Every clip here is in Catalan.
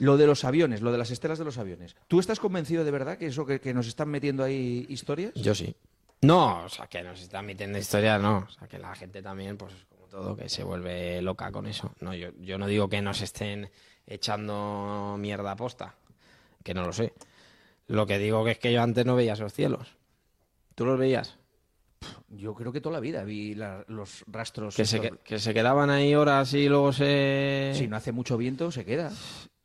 Lo de los aviones, lo de las estelas de los aviones. ¿Tú estás convencido de verdad que eso que nos están metiendo ahí historias? Yo sí. No, o sea, que nos están metiendo historias, no. O sea, que la gente también, pues como todo, que se vuelve loca con eso. No, yo no digo que nos estén echando mierda a posta, que no lo sé. Lo que digo que es que yo antes no veía esos cielos. ¿Tú los veías? Yo creo que toda la vida vi los rastros. Que se quedaban ahí horas y luego se... Si no hace mucho viento, se queda.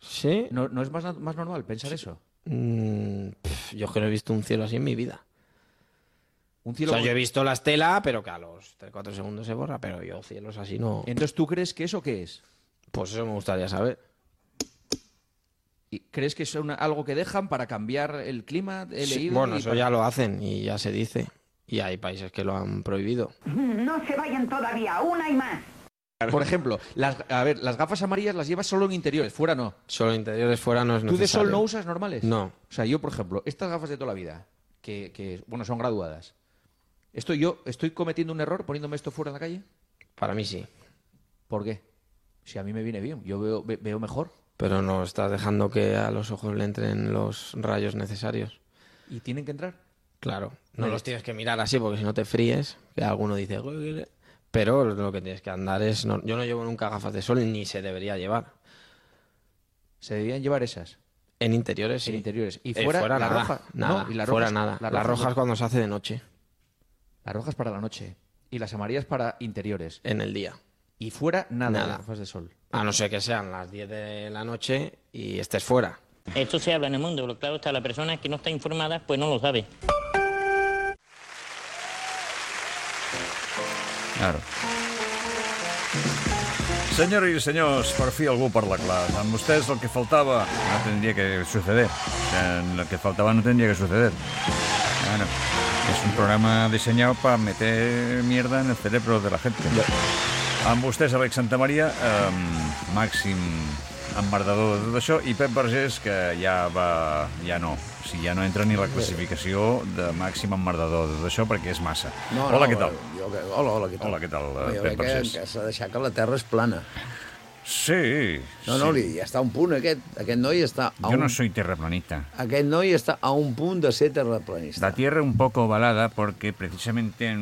¿Sí? ¿No es más normal pensar eso? Yo que no he visto un cielo así en mi vida. Un O cielo sea, yo he visto la estela, pero que a los 3-4 segundos se borra, pero yo cielos así no... Entonces, ¿tú crees que eso qué es? Pues eso me gustaría saber. ¿Y crees que es algo que dejan para cambiar el clima? He leído Bueno, y eso para- ya lo hacen y ya se dice. Y hay países que lo han prohibido. No se vayan todavía, una y más. Por ejemplo, las gafas amarillas las llevas solo en interiores, fuera no. Solo interiores fuera no es ¿Tú de necesario. sol no usas normales? No. O sea, yo, por ejemplo, estas gafas de toda la vida, que bueno, son graduadas. ¿Yo estoy cometiendo un error poniéndome esto fuera en la calle? Para mí sí. ¿Por qué? Si a mí me viene bien, yo veo mejor. Pero no estás dejando que a los ojos le entren los rayos necesarios. ¿Y tienen que entrar? Claro. No los tienes que mirar así porque si no te fríes, que alguno dice... Pero lo que tienes que andar es... yo no llevo nunca gafas de sol ni se debería llevar. ¿Se deberían llevar esas? En interiores sí. En interiores. ¿Y fuera, la nada, roja? nada. No, ¿y las fuera rojas? nada. Las Las rojas cuando se hace de noche. Las rojas para la noche. Y las amarillas para interiores. En el día. Y fuera nada, Nada. las gafas de sol. A no ser que sean las 10 de la noche y estés fuera. Esto se habla en el mundo, pero claro está, la persona que no está informada pues no lo sabe. Claro. Senyores i senyors, per fi algú parla clar. Amb vostès el que faltava no tendría que suceder. O sea, lo que faltaba no tendría que suceder. Bueno, es un programa diseñado para meter mierda en el cerebro de la gente. Amb vostès, Alex Santamaria, màxim emmerdador de tot això, i Pep Vergés, que ja no. O sigui, ja no entra ni la classificació de màxim emmerdador de tot això, perquè és massa. Hola, què tal? Hola, què tal? Hola, què tal, Jo Pep crec Vergés? que s'ha de deixar que la Terra és plana. Sí. No, ja està a un punt, aquest noi està a Yo no soy terraplanista. Aquest noi està a un punt de ser terraplanista. La tierra un poco ovalada porque precisamente yo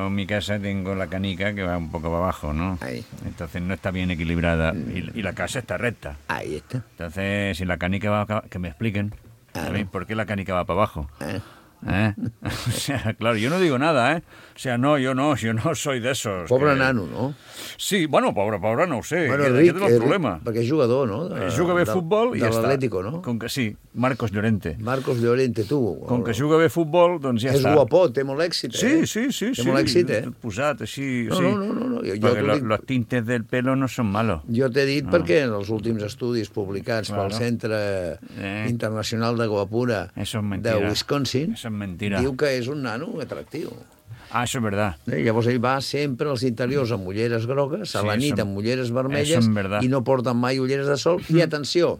en mi casa tengo la canica que va un poco para abajo, ¿no? Ahí. Entonces no está bien equilibrada y la casa está recta. Ahí está. Entonces, si la canica va... Que me expliquen. Claro. ¿Sabéis por qué la canica va para abajo? O sea, claro, yo no digo nada, ¿eh? O sea, yo no soy de esos. Pobre nano, no? Sí, bueno, pobre no ho sé. Bueno, Aquest és el problema. perquè és jugador, no? Juga bé futbol i ja està. De l'Atlético, no? Com que sí, Marcos Llorente. Marcos Llorente, tu. Com que juga bé futbol, doncs ja És està. guapot, té molt èxit, eh? Sí. Té molt èxit, eh? Tot posat, així... No, sí. no. Jo Perquè t'ho dic- los tintes del pelo no son malos. Jo t'he dit perquè en els últims estudis publicats pel Claro. Centre Internacional de Guapura Eso es de mentira. Wisconsin, Eso es mentira. diu que és un nano atractiu. Ah, eso es verdad. Llavors ell va sempre als interiors amb ulleres grogues, a la Sí, nit eso- amb ulleres eso vermelles es verdad. i no porten mai ulleres de sol. I atenció,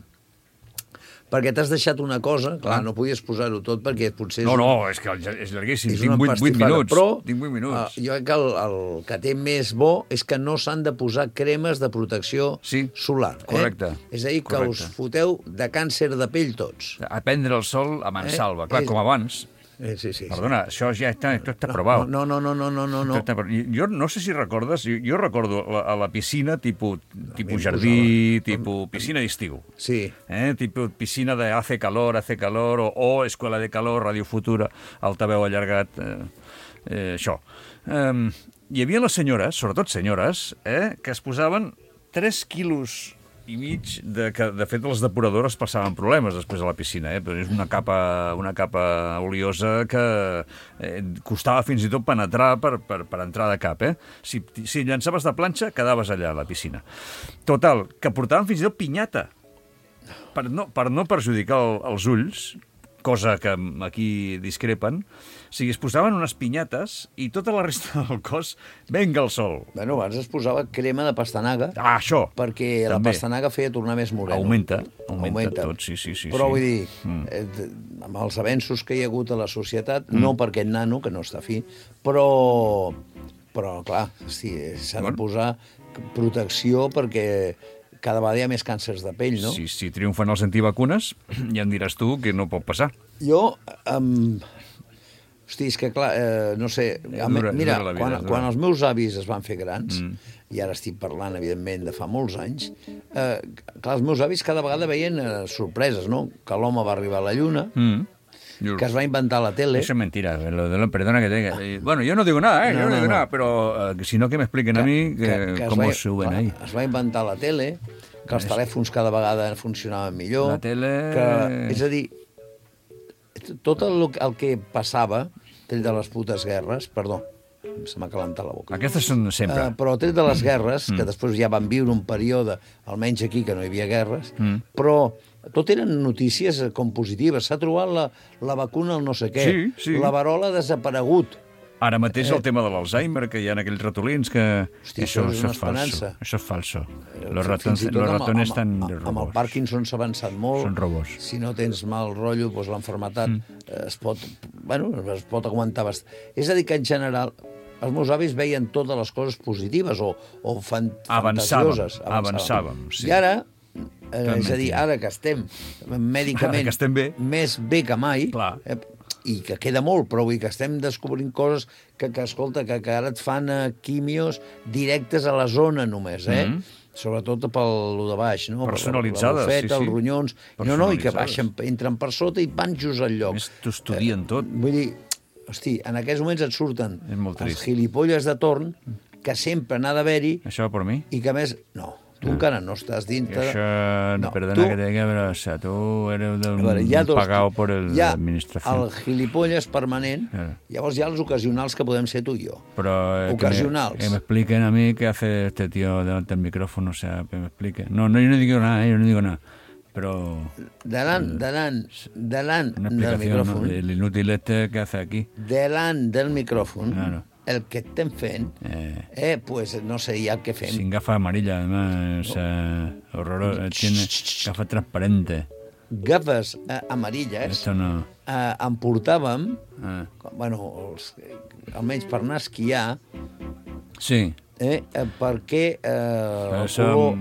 perquè t'has deixat una cosa, clar, no podies posar-ho tot perquè potser No, és que és llarguíssim. és Tinc una 8 empastifada. minuts. Però Tinc 8 minuts. jo crec que el que té més bo és que no s'han de posar cremes de protecció solar. correcte, És a dir, que correcte. us foteu de càncer de pell tots. A prendre el sol a mansalva. Clar, com abans. Sí. Perdona, això ja està, esto está probado. No. Jo no sé si recordes, jo recordo a la piscina tipus jardí, tipus piscina d'estiu. Sí. Tipus piscina de hace calor, o escola de calor, Radio Futura, altaveu allargat, això. Hi havia les senyores, sobretot senyores, que es posaven 3 quilos i mig que, de fet, les depuradores passaven problemes després a la piscina, però és una capa oliosa que costava fins i tot penetrar per entrar de cap. Si llançaves de planxa, quedaves allà a la piscina. Total, que portaven fins i tot pinyata per no perjudicar els ulls, cosa que aquí discrepen. O sigui, es posaven unes pinyates i tota la resta del cos, venga el sol. Bueno, abans es posava crema de pastanaga. Ah, això. Perquè la també. pastanaga feia tornar més moreno. Augmenta tot, sí. Però vull dir, amb els avenços que hi ha hagut a la societat, no per aquest nano, que no està fi, però clar, sí, s'ha de posar protecció perquè cada vegada hi ha més càncers de pell, no? Si triomfen els antivacunes, ja em diràs tu que no pot passar. Jo... Hosti, és que clar, no sé... Mira, quan els meus avis es van fer grans, i ara estic parlant, evidentment, de fa molts anys, clar, els meus avis cada vegada veien sorpreses, no? Que l'home va arribar a la Lluna, que es va inventar la tele... Eso es mentira, perdona que te diga. Bueno, yo no digo nada, yo no digo nada, pero si no que me expliquen a mí cómo suben ahí. Es va inventar la tele, que els telèfons cada vegada funcionaven millor... La tele... És a dir, tot el que passava, tret de les putes guerres, perdó, se m'ha calentat la boca. Aquestes són sempre. Però tret de les guerres, que després ja van viure un període, almenys aquí, que no hi havia guerres, però tot eren notícies com positives. S'ha trobat la vacuna al no sé què. Sí. La verola ha desaparegut. Ara mateix el tema de l'Alzheimer, que hi ha aquells ratolins que... Hosti, això és una esperança. Això és falso. Los ratones estan de robos. Amb el Parkinson s'ha avançat molt. Són robos. Si no tens mal rotllo, doncs l'enfermetat es pot aguantar bastant. És a dir, que en general els meus avis veien totes les coses positives o fantasioses. Avançàvem, sí. I ara, és a dir, ara que estem mèdicament més bé que mai, i que queda molt, però vull dir que estem descobrint coses que escolta, que ara et fan quimios directes a la zona només, sobretot pel lo de baix, no? Personalitzades, la bufeta, els ronyons, i que baixen, entren per sota i van just al lloc. T'ho estudien tot. Vull dir, hosti, en aquests moments et surten els gilipolles de torn, que sempre n'ha d'haver-hi... Això va per mi? I que a més... No, tu encara no estàs dintre... Això, perdona que te diga, però o sea, tu eres pagado por l'administració. El gilipolles permanent, llavors hi ha els ocasionals que podem ser tu i jo. Però ocasionals. Que me expliquen a mí qué hace este tío delante del micrófono, o sea, que me explique. No, yo no digo nada, pero... Delant del micròfon. El inútil este que hace aquí. Delant del micròfon. Claro. El que estem fent, pues no sé ja què fem. Sin gafa amarilla, además, horroroso, tiene gafa transparente. Gafes amarilles. Esto no. En portàvem, almenys per anar a esquiar, perquè el color...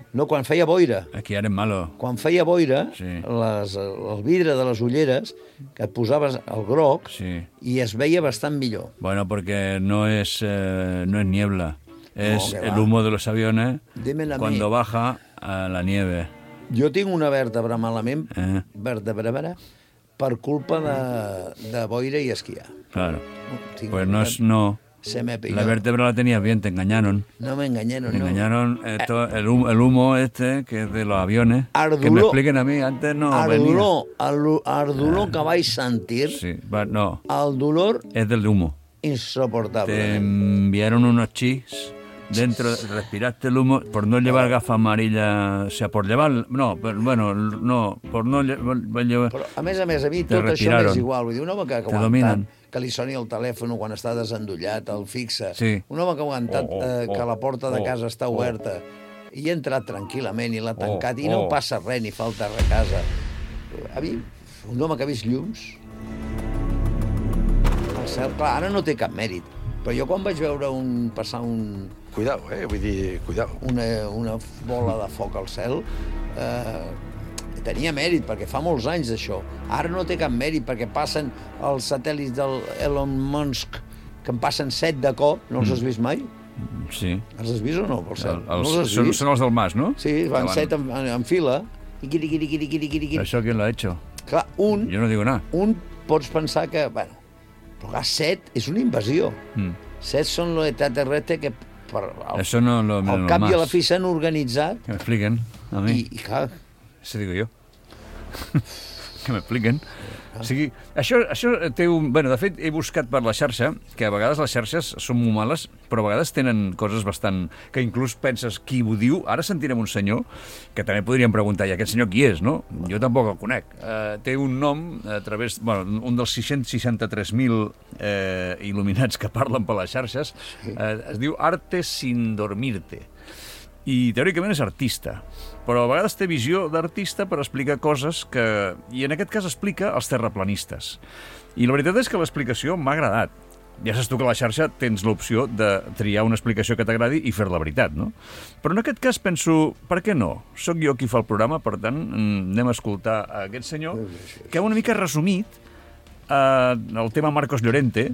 No, quan feia boira. Aquí eres malo. Quan feia boira, el vidre de les ulleres, que et posaves el groc, i es veia bastant millor. Bueno, porque no es niebla. Es el humo de los aviones cuando baja a la nieve. Jo tinc una vèrtebra malament, vèrtebra, per culpa de boira i esquiar. Claro. Pues no... La vértebra la tenías bien, te engañaron. No me engañaron, Me engañaron el humo este, que es de los aviones. Que me expliquen a mí, antes no venía. El dolor que vaig sentir, no. El dolor... Es del humo. Insoportable. Te enviaron unos chis dentro, respiraste el humo, por no llevar gafa amarilla, o sea, por llevar... No, pero, bueno, no, por no llevar... Però, a més, a mi tot això m'és igual. Vull dir, un home que ha aguantat que li soni el telèfon quan està desendollat, el fixa. Un home que ha aguantat que la porta de casa està oberta i ha entrat tranquil·lament i l'ha tancat i no passa res ni falta res a casa. A mi, un home que ha vist llums, el cel, clar, ara no té cap mèrit, però jo quan vaig veure passar un... Cuidao, vull dir, cuidao. Una bola de foc al cel, tenia mèrit, perquè fa molts anys d'això. Ara no té cap mèrit, perquè passen els satèl·lits del Elon Musk, que en passen 7 de cop. No els has vist mai? Sí. Els has vist o no, per cert? Són els del Mas, no? Sí, van 7 en fila. I quiri. ¿Això quién lo ha hecho? Clar, Yo no digo nada. Un pots pensar que, bueno, però clar, 7 és una invasió. 7 són l'extraterrestre que Eso no lo al cap i a la fi s'han organitzat. Que me expliquen a mí. I clar... Eso digo yo. Que me expliquen. O sigui, això té un... Bueno, de fet, he buscat per la xarxa, que a vegades les xarxes són molt males, però a vegades tenen coses bastant... que inclús penses qui ho diu. Ara sentirem un senyor, que també podríem preguntar, i aquest senyor qui és, no? Jo tampoc el conec. Té un nom a través... Bueno, un dels 663.000 il·luminats que parlen per les xarxes. Es diu Arte sin dormirte. I teòricament és artista, però a vegades té visió d'artista per explicar coses que... I en aquest cas explica els terraplanistes. I la veritat és que l'explicació m'ha agradat. Ja saps tu que a la xarxa tens l'opció de triar una explicació que t'agradi i fer la veritat, no? Però en aquest cas penso, per què no? Soc jo qui fa el programa, per tant, anem a escoltar a aquest senyor que ha una mica resumit el tema Marcos Llorente,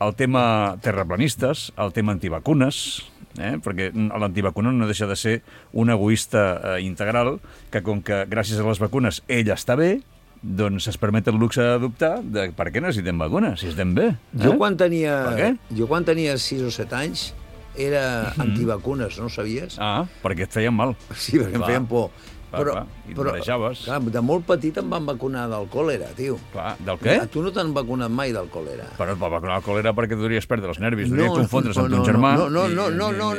el tema terraplanistes, el tema antivacunes, perquè l'antivacuna no deixa de ser un egoista integral que, com que gràcies a les vacunes ell està bé, doncs es permet el luxe d'adoptar de per què necessitem vacunes, si estem bé. Jo quan tenia 6 o 7 anys era antivacunes, no ho sabies? Ah, perquè et feien mal. Sí, perquè em feien por. Clar, i et marejaves. Clar, de molt petit em van vacunar del còlera, tio. Clar, del què? A tu no t'han vacunat mai del còlera. Però et va vacunar del còlera perquè podries perdre els nervis, podries confondre's amb ton germà. No, de la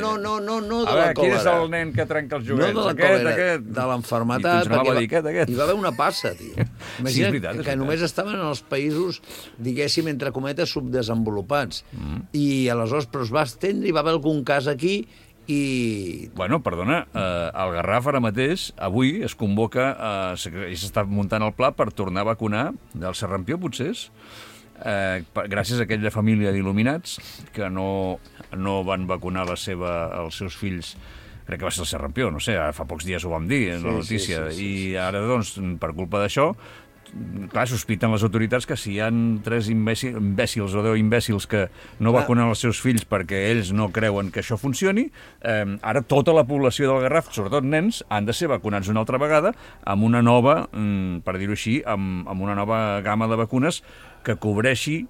còlera. Qui és el nen que trenca els joguets? No de la còlera, de l'enfermetat. Hi va haver una passa, tio. Imagina't que només estaven en els països, diguéssim, entre cometes, subdesenvolupats. I aleshores, però es va estendre, hi va haver algun cas aquí. Bueno, perdona, al Garraf ara mateix, avui es convoca, i s'està muntant el pla per tornar a vacunar del Serrampió, potser és, gràcies a aquella família d'il·luminats que no van vacunar els seus fills, crec que va ser el Serrampió, no sé, fa pocs dies ho vam dir en la notícia, i ara, doncs, per culpa d'això, clar, sospiten les autoritats que si hi ha 3 imbècils o 10 imbècils que no vacunen els seus fills perquè ells no creuen que això funcioni, ara tota la població del Garraf, sobretot nens, han de ser vacunats una altra vegada amb una nova, per dir-ho així, amb una nova gamma de vacunes que cobreixi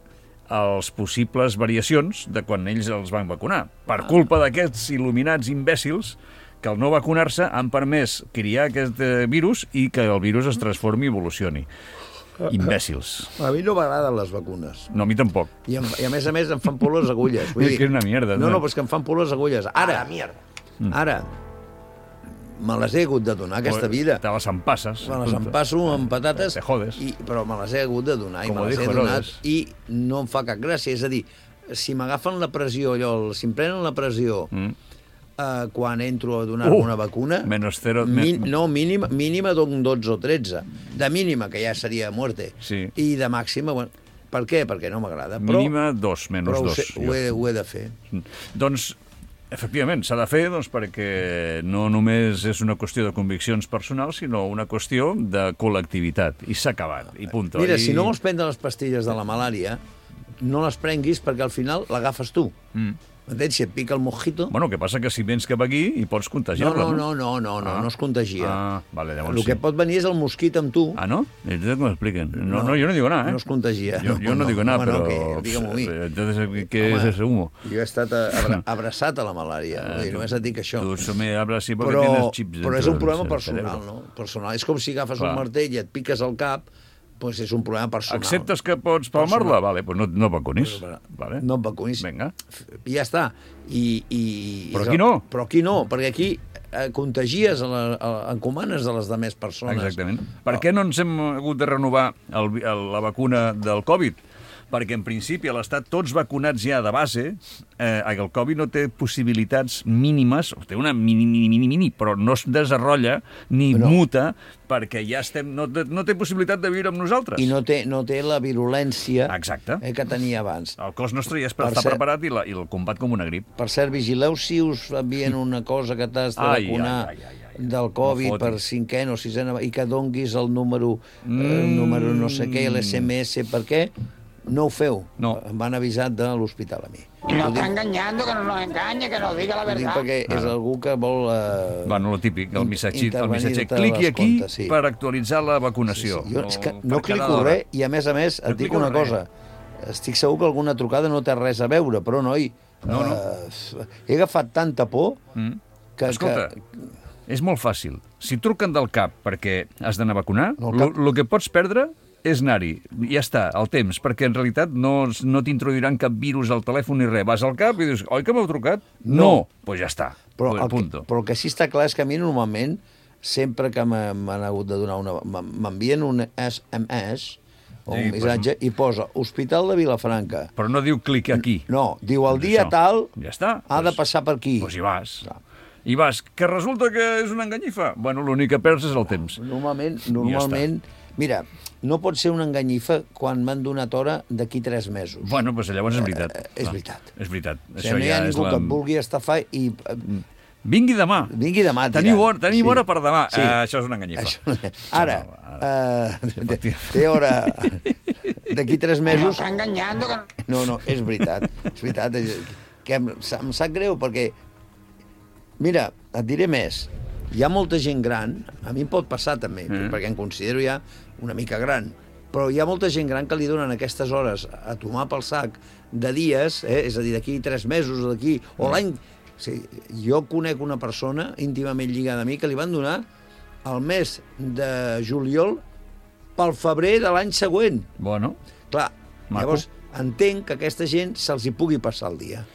els possibles variacions de quan ells els van vacunar. Per culpa d'aquests il·luminats imbècils que al no vacunar-se han permès criar aquest virus i que el virus es transformi i evolucioni. Imbècils. A mi no m'agraden les vacunes. No, a mi tampoc. I a més em fan por les agulles. És que és una mierda. No, però és que em fan por les agulles. Ara, me les he hagut de donar aquesta vida. Te les empasses. Me les empasso amb patates. Te jodes. Però me les he hagut de donar i me les he donat i no em fa cap gràcia. És a dir, si m'agafen la pressió, si em prenen la pressió quan entro a donar una vacuna, menos 0, mínima d'un 12 o 13. De mínima, que ja seria muerte. Sí. I de màxima, bueno, per què? Perquè no m'agrada. Mínima 2, menys 2. Però ho he de fer. Doncs, efectivament, s'ha de fer perquè no només és una qüestió de conviccions personals, sinó una qüestió de col·lectivitat. I s'ha acabat, i punt. Mira, si no vols prendre les pastilles de la malària, no les prenguis perquè al final l'agafes tu. M'entens? Si et pica el mosquito... Bueno, que passa que si vens cap aquí hi pots contagiar-la, no? No es contagia. Vale, llavors el que pot venir és el mosquit amb tu. Ah, no? Entonces que m'expliquen. No, jo no digo nada, No es contagia. Yo no digo nada, pero... Digue-m'ho a mi. Entonces, ¿qué es ese humo? Jo he estat abraçat a la malària. Només et dic això. Tu me hablas así porque tienes chips dentro. Però és un problema personal, no? Personal. És com si agafes un martell i et piques al cap, pues és un problema personal. Acceptes que pots palmar-la? Vale, pues no vacunis. Vale. No et vacunis. Vinga. I ja està. Però aquí no. Però aquí no, perquè aquí contagies, encomanes de les demés persones. Exactament. Per què no ens hem hagut de renovar la vacuna del Covid? Perquè, en principi, a l'Estat, tots vacunats ja de base, el Covid no té possibilitats mínimes, té una mini, però no es desenrotlla ni muta, perquè ja estem... No té possibilitat de viure amb nosaltres. I no té la virulència que tenia abans. El cos nostre ja està preparat i el combat com una grip. Per cert, vigileu si us envien una cosa que t'has de vacunar del Covid per 5è o 6è i que donguis el número no sé què, l'SMS, per què? No ho feu. No. Em van avisar de l'hospital a mi. No está engañando, que no nos engañe, que nos diga la verdad. Ho dic perquè és algú que vol... Bueno, lo típic, el missatge. Cliqui aquí per actualitzar la vacunació. Jo és que no clico res i, a més, et dic una cosa. Estic segur que alguna trucada no té res a veure, però, noi, he agafat tanta por que... Escolta, és molt fàcil. Si truquen del CAP perquè has d'anar a vacunar, el que pots perdre és anar-hi. Ja està, el temps, perquè en realitat no t'introduiran cap virus al telèfon ni res. Vas al CAP i dius, oi que m'heu trucat? No. Doncs ja està. Però el que sí està clar és que a mi normalment, sempre que m'han hagut de donar m'envien un SMS o un missatge i posa Hospital de Vilafranca. Però no diu clic aquí. No, diu el dia tal ha de passar per aquí. Doncs hi vas. I vas, que resulta que és una enganyifa. Bueno, l'únic que perds és el temps. Normalment Mira, no pot ser una enganyifa quan m'han donat hora d'aquí 3 mesos. Bueno, doncs llavors és veritat. És veritat. És veritat. O sigui, no hi ha ningú que et vulgui estafar i... Vingui demà. Vingui demà. Tenim hora per demà. Sí. Això és una enganyifa. Ara, té hora d'aquí 3 mesos... Està enganyant. No, és veritat. És veritat. Que em sap greu perquè... Mira, et diré més. Hi ha molta gent gran, a mi em pot passar també, perquè em considero ja una mica gran, però hi ha molta gent gran que li donen aquestes hores a tomar pel sac de dies, és a dir, d'aquí 3 mesos o d'aquí, o l'any... O sigui, jo conec una persona íntimament lligada a mi que li van donar el mes de juliol pel febrer de l'any següent. Bueno. Clar, llavors entenc que aquesta gent se'ls hi pugui passar el dia.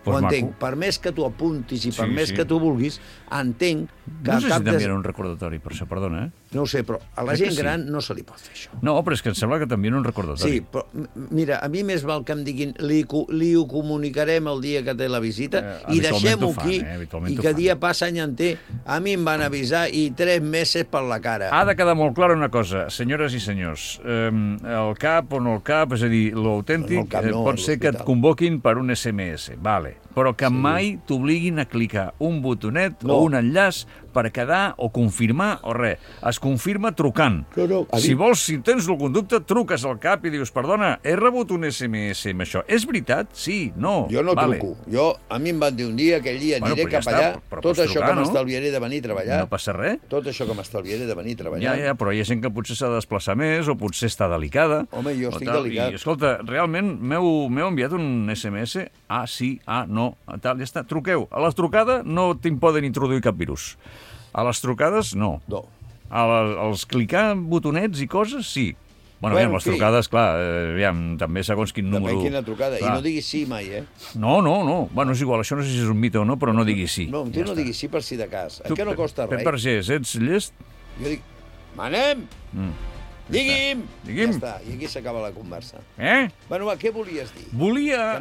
Ho entenc. Per més que tu apuntis i per més que tu vulguis, entenc que... No sé si t'envien un recordatori per això, perdona, No ho sé, però a la gent gran no se li pot fer això. No, però és que em sembla que t'envien un recordatori. Sí, però mira, a mi més val que em diguin li ho comunicarem el dia que té la visita i deixem-ho aquí i que dia passa any enter. A mi em van avisar i 3 mesos per la cara. Ha de quedar molt clara una cosa, senyores i senyors. El CAP o no el CAP, és a dir, l'autèntic, pot ser que et convoquin per un SMS, vale, però que mai t'obliguin a clicar un botonet o un enllaç per quedar o confirmar o res. Es confirma trucant. Si vols, si tens el conducte, truques al CAP i dius, perdona, he rebut un SMS amb això. És veritat? Sí, no. Jo no truco. A mi em van dir un dia, aquell dia aniré cap allà, tot això que m'estalviaré de venir a treballar. No passa res. Tot això que m'estalviaré de venir a treballar. Ja, però hi ha gent que potser s'ha de desplaçar més o potser està delicada. Home, jo estic delicat. I, escolta, realment m'heu enviat un SMS? Ah, sí, ah, no, tal, ja està. Truqueu. A la trucada no te'n poden introduir cap virus. A les trucades, no. No. Als clicar botonets i coses, sí. Bueno, aviam, les trucades, clar, també segons quin número... Depèn quina trucada, i no diguis sí mai, No. Bueno, és igual, això no sé si és un mite o no, però no diguis sí. No, tu no diguis sí per si de cas. Que no costa res. Pep Vergés, ets llest? Jo dic, manem! Digui'm! Ja està, i aquí s'acaba la conversa. Bueno, va, què volies dir? Volia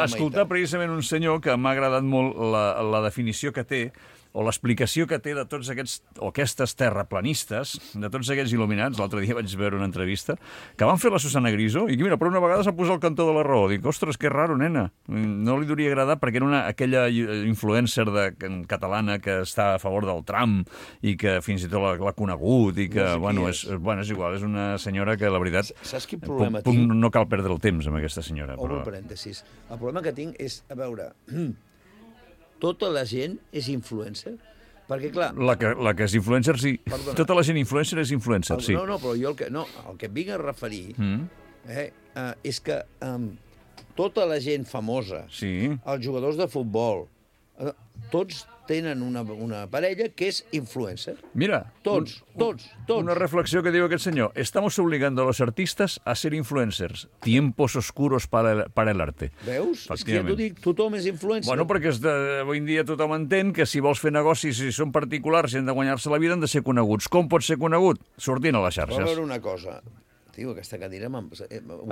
escoltar precisament un senyor que m'ha agradat molt la definició que té, o l'explicació que té de tots aquests, o aquestes terraplanistes, de tots aquests il·luminats. L'altre dia vaig veure una entrevista que van fer la Susana Griso i que, mira, per una vegada s'ha posat el cantó de la raó. Dic, ostres, que raro, nena. No li hauria agradat perquè era aquella influencer catalana que està a favor del Trump i que fins i tot l'ha conegut i que, bueno, és igual, és una senyora que, la veritat, saps quin problema tinc? No cal perdre el temps amb aquesta senyora. Obro parèntesis. El problema que tinc és, a veure... Tota la gent és influencer? Perquè, clar... La que és influencer, sí. Perdona. Tota la gent influencer és influencer, sí. No, però jo el que em vinc a referir és que tota la gent famosa, els jugadors de futbol, tots tenen una parella que és influencer. Mira, tots. Una reflexió que diu aquest senyor. Estamos obligando a los artistas a ser influencers. Tiempos oscuros para el arte. Veus? És que ja t'ho dic, tothom és influencer. Bueno, perquè avui en dia tothom entén que si vols fer negocis, si són particulars i han de guanyar-se la vida, han de ser coneguts. Com pot ser conegut? Sortint a les xarxes. Però a veure una cosa. Tio, aquesta cadira...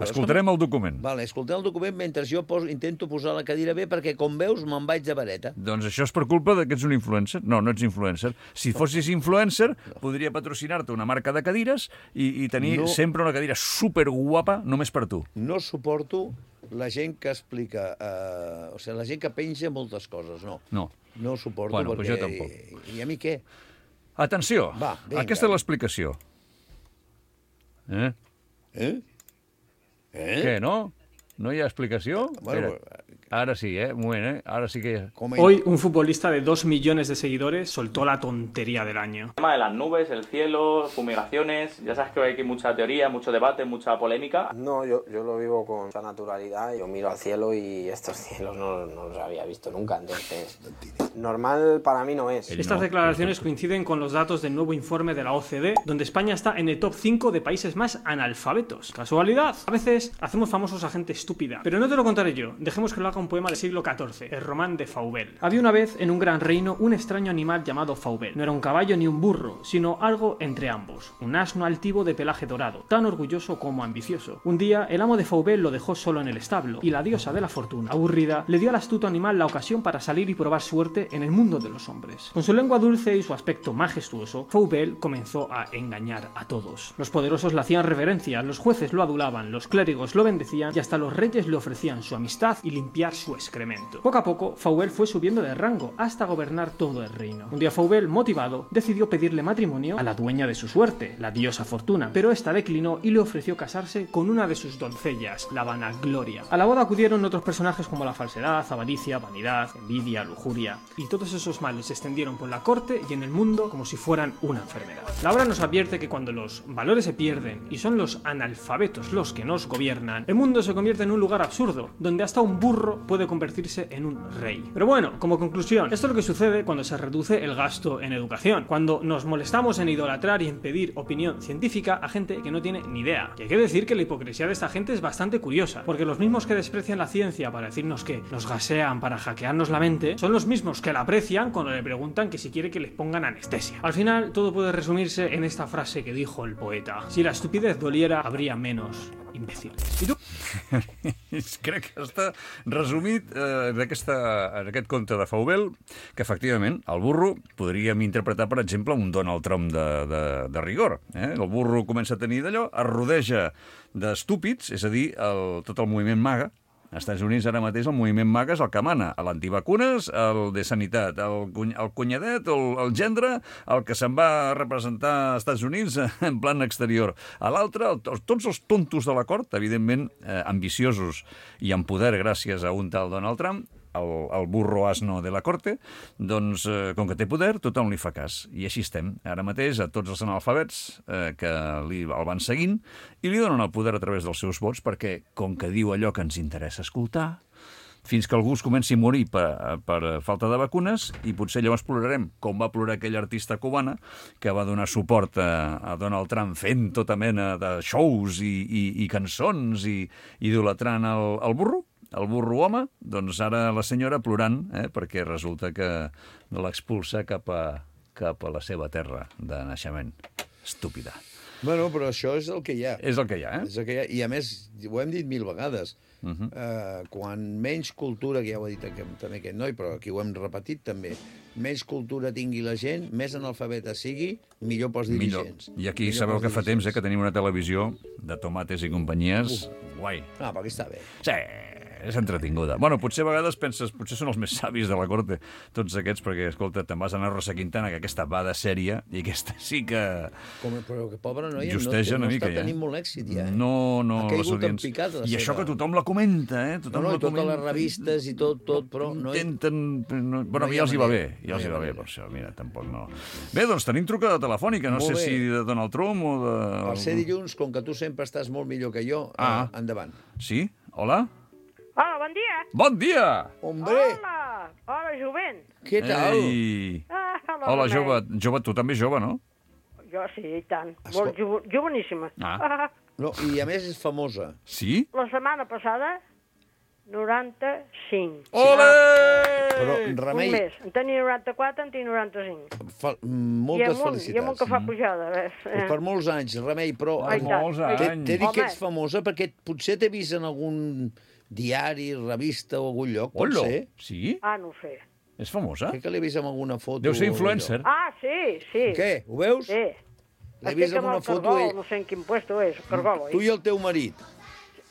Escoltarem el document. Vale, escoltem el document mentre jo intento posar la cadira bé perquè, com veus, me'n vaig de vareta. Doncs això és per culpa que ets un influencer? No, no ets influencer. Si fossis influencer, podria patrocinar-te una marca de cadires i tenir sempre una cadira superguapa només per tu. No suporto la gent que explica... o sigui, la gent que penja moltes coses, no. No. No ho suporto perquè... Pues jo tampoc. I a mi què? Atenció, aquesta és l'explicació. Què, no? ¿No hay explicación? Bueno, ahora sí, un moment, ahora sí que... Hoy un futbolista de 2 millones de seguidores soltó la tontería del año. El tema de las nubes, el cielo, fumigaciones, ya sabes que hay aquí mucha teoría, mucho debate, mucha polémica. No, yo lo vivo con mucha naturalidad, yo miro al cielo y estos cielos no los había visto nunca, entonces normal para mí no es. Estas declaraciones coinciden con los datos del nuevo informe de la OCDE, donde España está en el top 5 de países más analfabetos. ¿Casualidad? A veces hacemos famosos a gente estúpida, pero no te lo contaré yo, dejemos que lo haga un un poema del siglo XIV, el Román de Flaubert. Había una vez en un gran reino un extraño animal llamado Flaubert. No era un caballo ni un burro, sino algo entre ambos. Un asno altivo de pelaje dorado, tan orgulloso como ambicioso. Un día, el amo de Flaubert lo dejó solo en el establo, y la diosa de la fortuna, aburrida, le dio al astuto animal la ocasión para salir y probar suerte en el mundo de los hombres. Con su lengua dulce y su aspecto majestuoso, Flaubert comenzó a engañar a todos. Los poderosos le hacían reverencia, los jueces lo adulaban, los clérigos lo bendecían y hasta los reyes le ofrecían su amistad y limpiar su excremento. Poco a poco, Flaubert fue subiendo de rango hasta gobernar todo el reino. Un día Flaubert, motivado, decidió pedirle matrimonio a la dueña de su suerte, la diosa Fortuna, pero esta declinó y le ofreció casarse con una de sus doncellas, la Vanagloria. A la boda acudieron otros personajes como la falsedad, avaricia, vanidad, envidia, lujuria, y todos esos males se extendieron por la corte y en el mundo como si fueran una enfermedad. La obra nos advierte que cuando los valores se pierden y son los analfabetos los que nos gobiernan, el mundo se convierte en un lugar absurdo, donde hasta un burro puede convertirse en un rey. Pero bueno, como conclusión, esto es lo que sucede cuando se reduce el gasto en educación, cuando nos molestamos en idolatrar y en pedir opinión científica a gente que no tiene ni idea. Y hay que decir que la hipocresía de esta gente es bastante curiosa, porque los mismos que desprecian la ciencia para decirnos que nos gasean para hackearnos la mente, son los mismos que la aprecian cuando le preguntan que si quiere que les pongan anestesia. Al final, todo puede resumirse en esta frase que dijo el poeta: si la estupidez doliera, habría menos imbéciles. I tu? Crec que està resumit en aquest conte de Flaubert, que efectivament el burro podríem interpretar, per exemple, un Donald Trump de rigor. El burro comença a tenir d'allò, es rodeja d'estúpids, és a dir, tot el moviment MAGA. Als Estats Units ara mateix el moviment MAGA és el que mana, l'antivacunes, el de sanitat, el cunyadet, el gendre, el que se'n va a representar als Estats Units en plan exterior. A l'altre, tots els tontos de la cort, evidentment ambiciosos i amb poder gràcies a un tal Donald Trump, el burro asno de la corte, doncs, com que té poder, tothom li fa cas. I així estem. Ara mateix, a tots els analfabets que el van seguint i li donen el poder a través dels seus vots perquè, com que diu allò que ens interessa escoltar, fins que algú es comenci a morir per falta de vacunes i potser llavors plorarem, com va plorar aquella artista cubana que va donar suport a Donald Trump fent tota mena de shows i cançons i idolatrant el burro home, doncs ara la senyora plorant, perquè resulta que l'expulsa cap a la seva terra de naixement. Estúpida. Bueno, però això és el que hi ha. És el que hi ha, És el que hi ha. I a més, ho hem dit 1000 vegades, quan menys cultura, que ja ho ha dit també aquest noi, però aquí ho hem repetit també, menys cultura tingui la gent, més analfabeta sigui, millor pels dirigents. I aquí sabeu que fa temps que tenim una televisió de tomates i companyies guai. Ah, perquè està bé. Sí, és entretinguda. Bueno, potser a vegades penses, potser són els més savis de la corte, tots aquests, perquè, escolta, te'n vas anar a Rosa Quintana, que aquesta va de sèrie, i aquesta sí que... Però que pobra noia justeja una mica, està tenint molt èxit, ja. No, ha caigut en picat, I això que tothom la comenta, Tothom la totes les revistes i tot, però... Intenten... Bueno, ja els hi va bé, per això, mira, tampoc no... Bé, doncs tenim trucada telefònica, no sé si de Donald Trump o de... Per ser dilluns, com que tu sempre estàs molt millor que jo, endavant. Sí? Hola? Hola, bon dia. Bon dia! Hombre! Hola, jovent. Què tal? Hola, jove, tu també jove, no? Jo sí, i tant. Molt joveníssima. No, i a més és famosa. Sí? La setmana passada, 95. Ole! Però, Remei... Un mes. En tenia 94, en tinc 95. Moltes felicitats. I amunt que fa pujada. Per molts anys, Remei, però... Per molts anys. T'he dit que ets famosa perquè potser t'he vist en algun diari, revista o algun lloc, pot ser? Sí? Ah, no ho sé. És famosa? Crec que l'he vist en alguna foto. Deu ser influencer. Ah, sí. Què? Ho veus? Sí. L'he vist en una foto... Cargol, no sé en quin puesto és, Cargol. Tu i el teu marit.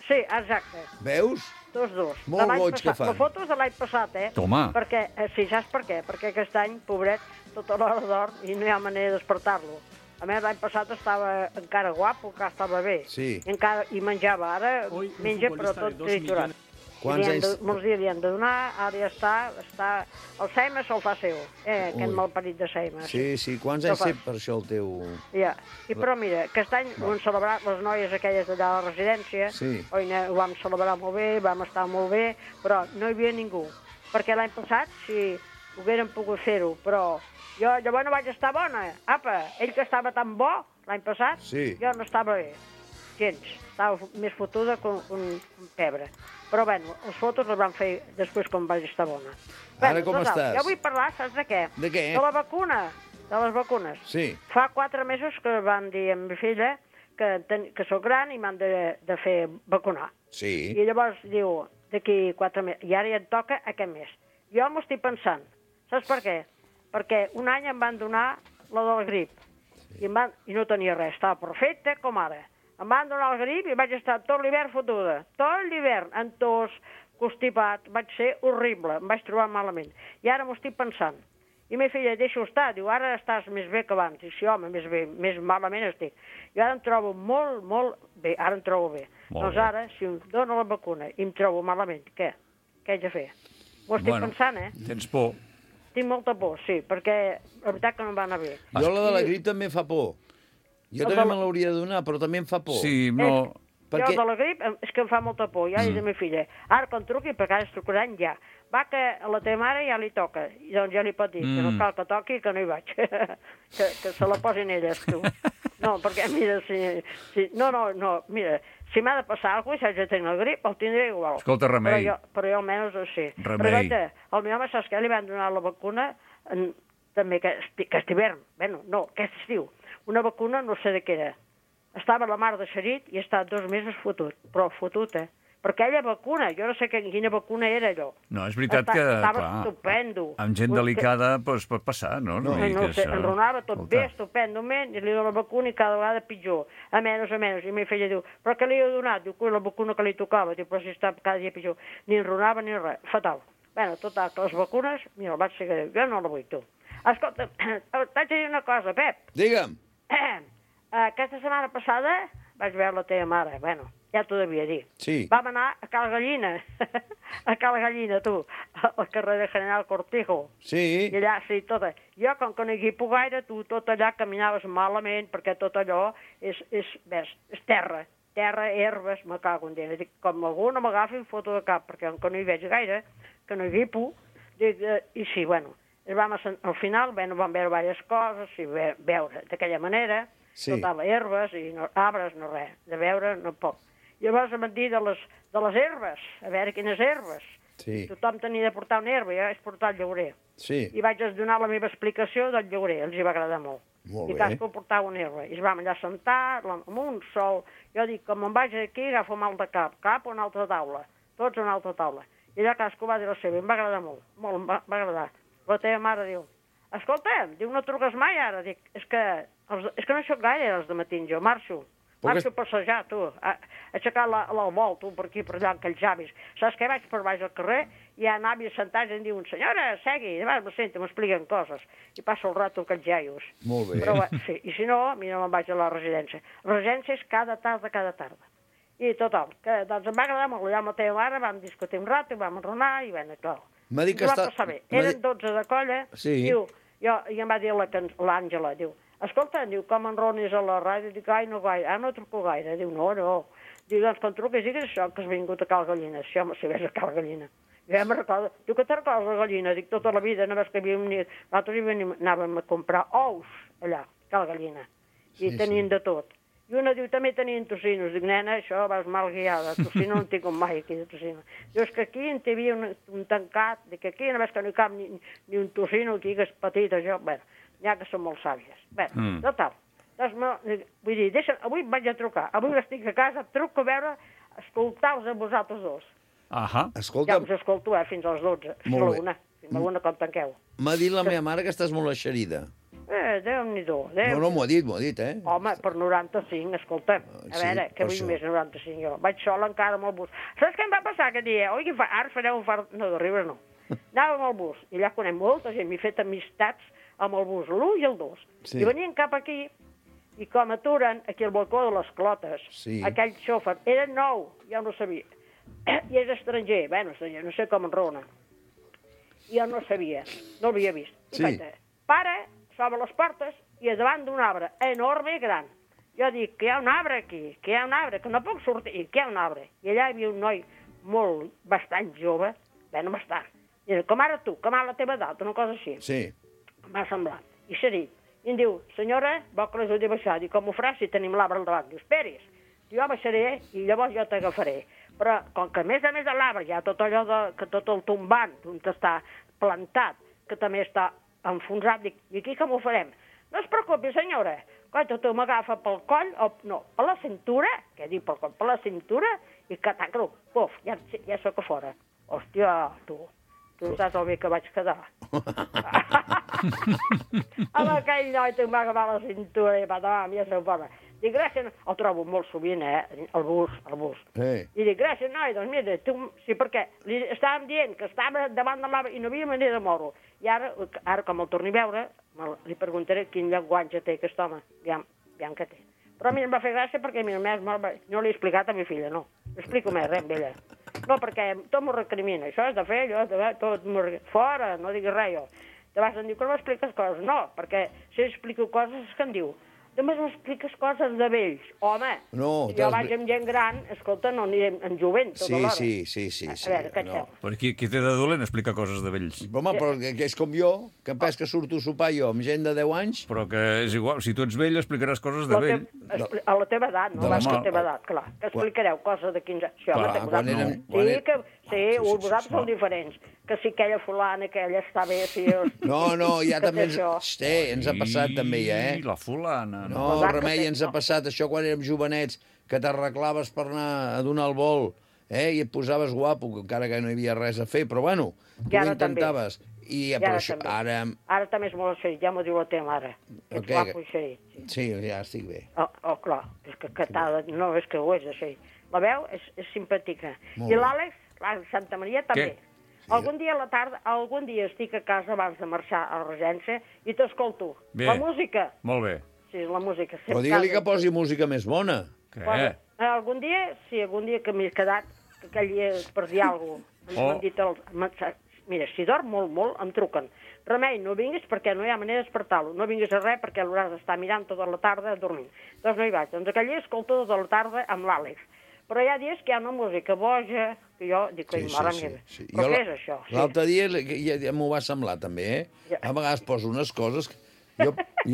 Sí, exacte. Veus? Tots dos. Molt goig que fan. La foto és de l'any passat, Toma. Perquè, sí, saps per què? Perquè aquest any, pobret, tota l'hora d'or i no hi ha manera de despertar-lo. A més, l'any passat estava encara guapo, que estava bé. Sí. I menjava. Ara menja, però tot triturat. Quants anys... Molts dies li han de donar, ara ja està... El Seima se'l fa seu, aquest malparit de Seima. Sí. Quants anys té per això el teu... Ja. Però mira, aquest any ho han celebrat les noies aquelles d'allà a la residència. Sí. Ho vam celebrar molt bé, vam estar molt bé, però no hi havia ningú. Perquè l'any passat, si haguérem pogut fer-ho, però jo llavors no vaig estar bona. Apa, ell que estava tan bo l'any passat, jo no estava bé. gens. Estava més fotuda que un pebre. Però, bueno, les fotos les van fer després quan vaig estar bona. Ara com estàs? Jo vull parlar, saps de què? De què? De la vacuna, de les vacunes. Sí. Fa 4 mesos que van dir a mi filla que sóc gran i m'han de fer vacunar. Sí. I llavors diu, d'aquí 4 mesos, i ara ja et toca aquest mes. Jo m'ho estic pensant. Saps per què? Perquè un any em van donar la del grip. I no tenia res, estava perfecte com ara. Em van donar el grip i vaig estar tot l'hivern fotuda. Tot l'hivern, en tos, constipat, vaig ser horrible, em vaig trobar malament. I ara m'ho estic pensant. I meva filla, deixa-ho estar, diu, ara estàs més bé que abans. I sí, home, més bé, més malament estic. I ara em trobo molt, molt bé, ara em trobo bé. Doncs ara, si em dona la vacuna i em trobo malament, què? Què haig de fer? M'ho estic pensant, Tens por. Tinc molta por, sí, perquè la veritat que no em va anar bé. Jo la de la grip també em fa por. Jo també me l'hauria de donar, però també em fa por. Sí, no... Jo de la grip és que em fa molta por, ja dic a meva filla. Ara quan truqui, perquè ara es trucaran ja. Va, que a la teva mare ja li toca. I doncs ja li pot dir que no cal que toqui, que no hi vaig. que se la posin elles, tu. No, perquè mira, si... No, mira, si m'ha de passar alguna cosa, si haig de tenir la grip, el tindré igual. Escolta, remei. Però jo almenys ho sé. Remei. Però al meu home, saps què? Li van donar la vacuna també aquest hivern. Bueno, no, aquest estiu. Una vacuna, no sé de què era. Estava la mar de Xerit i he estat 2 mesos fotut. Però fotut, Perquè aquella vacuna, jo no sé quina vacuna era allò. No, és veritat que, estava estupendo. Amb gent delicada pot passar, no? No sé, enronava tot bé, estupendament, i li dono la vacuna i cada vegada pitjor. A menys. I meva filla diu, però què li heu donat? Diu, la vacuna que li tocava. Diu, però si està cada dia pitjor. Ni enronava ni res. Fatal. Bueno, total, que les vacunes, mira, vaig ser greu. Jo no la vull, tu. Escolta, t'haig de dir una cosa, Pep. Digue'm. Aquesta setmana passada vaig veure la teva mare. Bueno, ja t'ho devia dir. Sí. Vam anar a Cal Gallina. A Cal Gallina, tu. Al carrer de General Cortijo. Sí. I allà, sí, tot. Jo, com que no hi puc gaire, tu tot allà caminaves malament, perquè tot allò és terra. Terra, herbes, me cago en Déu. Dic, com algú no m'agafi foto de cap, perquè com no hi veig gaire, que no hi guipo, i sí, bueno, al final vam veure diverses coses, i veure d'aquella manera, total, herbes i arbres, no res, de veure no poc. Llavors em van dir de les herbes, a veure quines herbes. Sí. Tothom tenia de portar una herba, jo vaig portar el llaurer. Sí. I vaig donar la meva explicació del llaurer, els hi va agradar molt. Molt I bé. cadascú portava una herba. I es vam allà sentar, amb un sol. Jo dic, com em vaig aquí, agafo mal de cap a una altra taula. Tots a una altra taula. I allà cadascú va dir la seva, em va agradar molt, em va agradar. La teva mare diu, escolta, diu, no truques mai ara? Dic, és que no hi soc gaire els de matins, jo marxo a passejar, tu, a aixecar el vol, tu, per aquí, per allà, amb aquells avis. Saps què? Vaig per baix al carrer, i hi ha avis sentats i em diuen, senyora, segui, i me sento, m'expliquen coses, i passo el rato aquells iaios. Molt bé. Però, sí, i si no, mira, me'n vaig a la residència. La residència és cada tarda. I total, que doncs em va agradar molt, allà amb la teva mare, vam discutir un rato, vam enronar, i bueno, clar. M'ha dit que va passar bé. Eren 12 de colla, diu, i em va dir l'Àngela, diu, escolta, diu, com enronis a la ràdio? Dic, ai, no gaire, no truco gaire. Diu, no. Diu, doncs, quan truques, digues això, que has vingut a Cal Gallina. Sí, home, si ves a Cal Gallina. Jo ja me'n recordo. Diu, que te'n recordes la gallina? Dic, tota la vida, no ves que nosaltres anàvem a comprar ous allà, a Cal Gallina. I tenien de tot. I una diu, també tenien tocinos. Dic, nena, això vas mal guiada. Tocino no en tinc mai aquí de tocino. Diu, és que aquí en té havia un tancat. Dic, aquí no ves que no hi cap ni un tocino, aquí que és petit, això. Bé, ja que són molt sàvies. Bé, total. Doncs, vull dir, avui vaig a trucar. Avui estic a casa, truco a veure, escoltar-vos a vosaltres dos. Escolta... Ja us escolto, fins a les 12. Fins a la 1. Fins a la 1 quan tanqueu. M'ha dit la meva mare que estàs molt eixerida. Déu-n'hi-do. No, m'ho ha dit, Home, per 95, escolta. A veure, que vull més 95 jo. Vaig sola encara amb el bus. Saps què em va passar aquest dia? Oi, ara fareu un fart... No, de riure no. Anava amb el bus, i allà conec molta gent, m'he fet amistats amb el bus, l'1 i el 2. I venien cap aquí, i com aturen aquí al balcó de les Clotes, aquell xòfer, era nou, ja no sabia. I és estranger, bueno, no sé com enrona. Jo no sabia, no l'havia vist. I vaig dir, pare, s'obre les portes, i davant d'un arbre enorme i gran. Jo dic, que hi ha un arbre aquí, que no puc sortir, que hi ha un arbre. I allà hi havia un noi bastant jove, no bastant. I com ara tu, com ara la teva edat, una cosa així. Sí. M'ha semblat. I s'ha dit. I em diu, senyora, vol que l'ajudi a baixar? Dic, com ho faràs si tenim l'arbre al davant? Diu, esperis. jo baixaré i llavors jo t'agafaré. Però com que a més de l'arbre hi ha tot allò que tot el tombant, on està plantat, que també està enfonsat, dic, i aquí com ho farem? No es preocupi, senyora, coi, tu m'agafa pel coll, per la cintura, què dic pel coll, per la cintura, i catacro, puf, ja soc a fora. Hòstia, tu saps el bé que vaig quedar. Amb aquell noi tu m'agafar la cintura i patam, ja soc fora. Dic, gràcies, el trobo molt sovint, el bus. Sí. I dic, gràcies, noi, doncs mira, tu, sí, perquè li estàvem dient que estava davant de l'arbre i no havia manera de moure-ho. I ara, com el torni a veure, li preguntaré quin llenguatge té aquest home, aviam què té. Però a mi em va fer gràcia perquè, mira, no li he explicat a mi filla, no. No explico més res amb ella. No, perquè tot m'ho recrimina. Això és de fer, allò, tot m'ho recrimina. Fora, no diguis res, jo. Te vas dir que no m'expliques coses. No, perquè si explico coses és que em diu, només m'expliques coses de vells. Home, si jo vaig amb gent gran, escolta, no anirem en jovent tota l'hora. Sí. A veure, què et sembla? Però qui té de dolent explica coses de vells. Home, però que és com jo, que pes que surto a sopar jo amb gent de 10 anys. Però que és igual, si tu ets vell explicaràs coses de vell. A la teva edat, no vas a la teva edat, clar. Que explicareu coses de 15 anys. Sí, vosaltres sou diferents. Que si aquella fulana, aquella està bé, si... No, ja també ens ha passat també, ja, la fulana. No, Remei, ens ha passat això quan érem jovenets, que t'arreglaves per anar a donar el vol, i et posaves guapo, encara que no hi havia res a fer, però bueno, tu ho intentaves. Ara també és molt eixerit, ja m'ho diu la teva mare. Ets guapo i eixerit. Sí, ja estic bé. Clar, és que no, és que ho és eixerit. La veu és simpàtica. I l'Àlex Santa Maria també. Algun dia a la tarda, algun dia estic a casa abans de marxar a la regència i t'escolto. La música. Molt bé. Sí, la música. Però digue-li que posi música més bona. Què? Algun dia que m'he quedat, que aquell dia per dir alguna cosa, m'han dit, mira, si dorm molt, em truquen. Remei, no vinguis perquè no hi ha manera d'espertar-lo. No vinguis a res perquè l'hauràs d'estar mirant tota la tarda dormint. Doncs no hi vaig. Doncs aquell dia escolto tota la tarda amb l'Àlex. Però hi ha dies que hi ha una música boja, que jo dic, mare meva, però què és això? L'altre dia ja m'ho va semblar, també, A vegades poso unes coses... Jo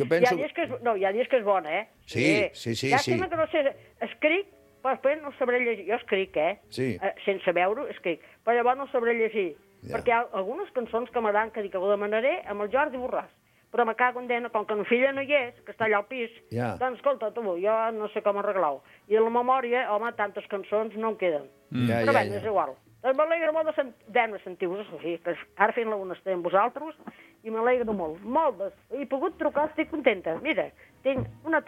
penso... Hi ha dies que és bona, Sí. Llàstima que no sé... Escric, però després no sabré llegir. Jo escric, Sí. Sense veure-ho, escric. Però llavors no sabré llegir. Perquè hi ha algunes cançons que m'agraden que dic que ho demanaré amb el Jordi Borràs. Però me cago en dena, com que la filla no hi és, que està allà al pis, doncs escolta, tu, jo no sé com arreglar-ho. I a la memòria, home, tantes cançons no em queden. Però bé, és igual. Doncs m'alegra molt de sentir-vos, ara fent-la una estona amb vosaltres, i m'alegro molt. He pogut trucar, estic contenta. Mira, tinc una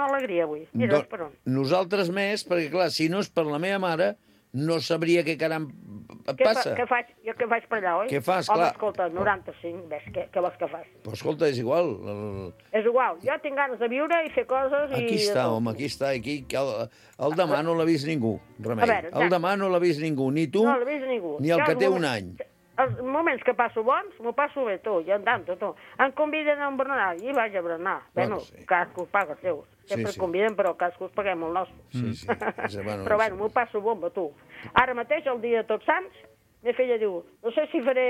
alegria avui. Mira, per on. Nosaltres més, perquè clar, si no és per la meva mare, no sabria què caram passa. Què faig? Jo què faig per allà, oi? Què fas, clar? Home, escolta, 95, ves, què vols que faci? Però escolta, és igual. És igual, jo tinc ganes de viure i fer coses i... Aquí està, el demà no l'ha vist ningú, Remei. El demà no l'ha vist ningú, ni tu, ni el que té un any. Els moments que passo bons, m'ho passo bé, tu, jo andant, tu. Em conviden a un berenar, i vaig a berenar. Bueno, cadascú paga els seus. Sempre conviden, però cadascú paguem el nostre. Sí. Però bueno, m'ho passo bomba, tu. Ara mateix, el dia de Tots Sants, meva filla diu, no sé si faré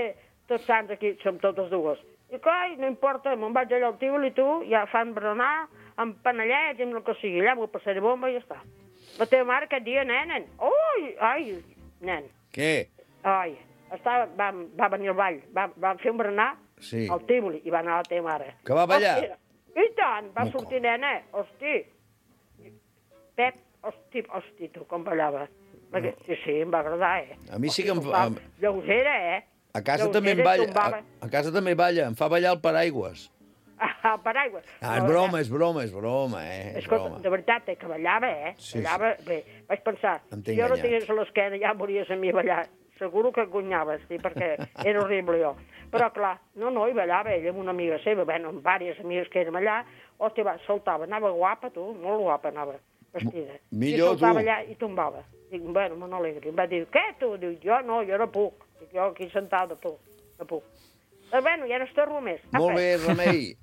Tots Sants aquí, som totes dues. Dic, no importa, me'n vaig allà al Tívoli, tu, ja fan berenar, amb panellets, amb el que sigui, allà m'ho passaré bomba i ja està. La teva mare aquest dia, nen. Nen. Què? Va venir al ball, va fer un berenar al Tívoli i va anar a la teva mare. Que va ballar? I tant, va sortir nena, hosti. Pep, hosti, tu, com ballava. Sí, em va agradar, A mi sí que em fa... Lleugera, A casa també em balla, a casa també balla, em fa ballar el paraigües. El paraigües. És broma, Escolta, de veritat, que ballava, Ballava bé. Vaig pensar, si jo no tingués a l'esquena ja mories a mi ballar. Seguro que gunyaves, perquè era horrible jo. Però clar, no, hi ballava ella amb una amiga seva, amb diverses amigues que érem allà, hòstia, saltava, anava guapa, tu, molt guapa anava, vestida. Millor, tu. I saltava allà i tombava. Dic, bueno, me n'alegri. Em va dir, què, tu? Dic, jo no puc. Dic, jo aquí sentada, tu, no puc. Però bueno, ja no estorbo més. Molt bé, Remei.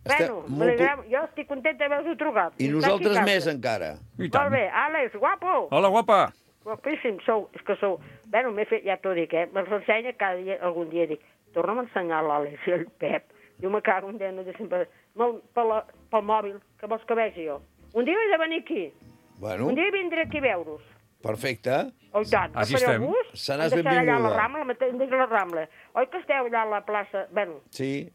Jo estic contenta d'haver-vos trucat. I nosaltres més, encara. Molt bé, Àlex, guapo. Hola, guapa. Guapíssim, és que sou... Bueno, m'he fet, ja t'ho dic, me'ls ensenya cada dia, algun dia, dic, torna'm a ensenyar l'Àlex i el Pep. Diu, me cago en dena, sempre... Pel mòbil, que vols que vegi jo? Un dia he de venir aquí, Bueno. Un dia vindré aquí a veure-us. Perfecte. Oh, tant. Aquí estem. Seràs benvinguda. Allà a la Rambla, mateix a la Rambla. Oi que esteu allà a la plaça? Bueno. Sí,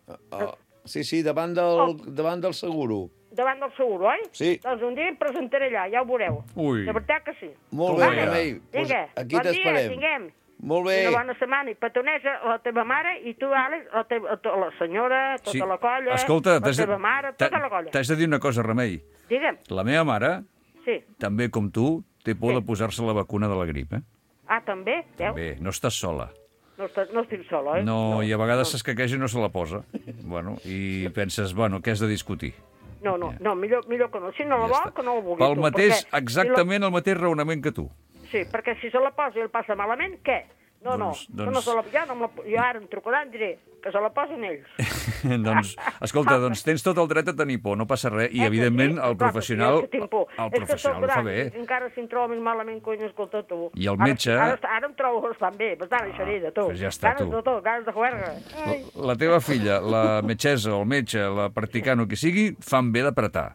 sí, davant del Seguro. Davant del Seguro, oi? Sí. Doncs un dia em presentaré allà, ja ho veureu. Ui. De veritat que sí. Molt bé, Remei. Vinga, Aquí bon dia, t'esperem. tinguem. Molt bé. Una bona setmana. I petonesa la teva mare i tu, Àlex, la senyora, tota la colla, escolta, la teva mare, tota la colla. T'haig de dir una cosa, Remei. Digue'm. La meva mare, també com tu, té por de posar-se la vacuna de la grip, eh? Ah, també? Veus? Bé, no estàs sola. No estic sola, oi? No, i a vegades s'escaqueja i no se la posa. Bueno, i penses, què has de discutir? No, millor que no. Si no la vol, que no la vulgui Pel tu. mateix, exactament el mateix raonament que tu. Sí, perquè si se la posa i el passa malament, què? No, no se la... Jo ara em trucaran i diré que se la posin ells. Doncs, escolta, tens tot el dret a tenir por, no passa res. I, evidentment, el professional ho fa bé. Encara si em trobo més malament, cony, escolta, tu. I el metge... Ara em trobo bastant bé, bastant eixerida, tu. Pues ja està, tu. Ganes de juerga. La teva filla, la metgessa, el metge, la practicant o qui sigui, fan bé d'apretar.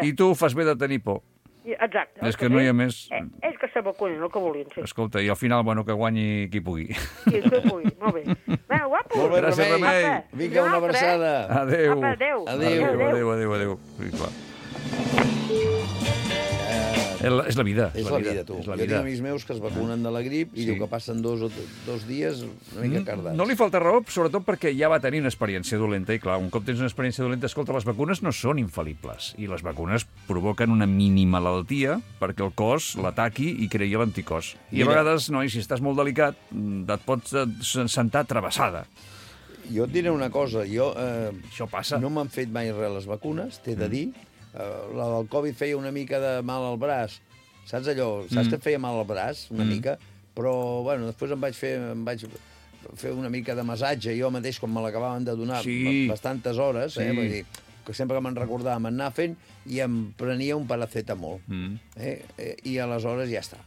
I tu fas bé de tenir por. Exacte. És que no hi ha més... Ells que se vacunin, el que vulguin, sí. Escolta, i al final, que guanyi qui pugui. Sí, qui pugui, molt bé. Bé, guapo. Molt bé, Remei. Vinga, una abraçada. Adéu. Adéu. Sí, clar. És la vida. És la vida, tu. Jo tinc amics meus que es vacunen de la grip i diu que passen dos dies una mica cardats. No li falta raó, sobretot perquè ja va tenir una experiència dolenta i, clar, un cop tens una experiència dolenta, escolta, les vacunes no són infal·libles i les vacunes provoquen una minimalaltia perquè el cos l'ataqui i creï l'anticòs. I a vegades, si estàs molt delicat, et pots sentar travessada. Jo et diré una cosa, això passa. No m'han fet mai res les vacunes, t'he de dir. La del Covid feia una mica de mal al braç. Saps allò? Saps que et feia mal al braç, una mica? Però, després em vaig fer una mica de massatge. Jo mateix, quan me l'acabaven de donar bastantes hores, vull dir, que sempre que me'n recordava m'anar fent, i em prenia un paracetamol. I aleshores ja està.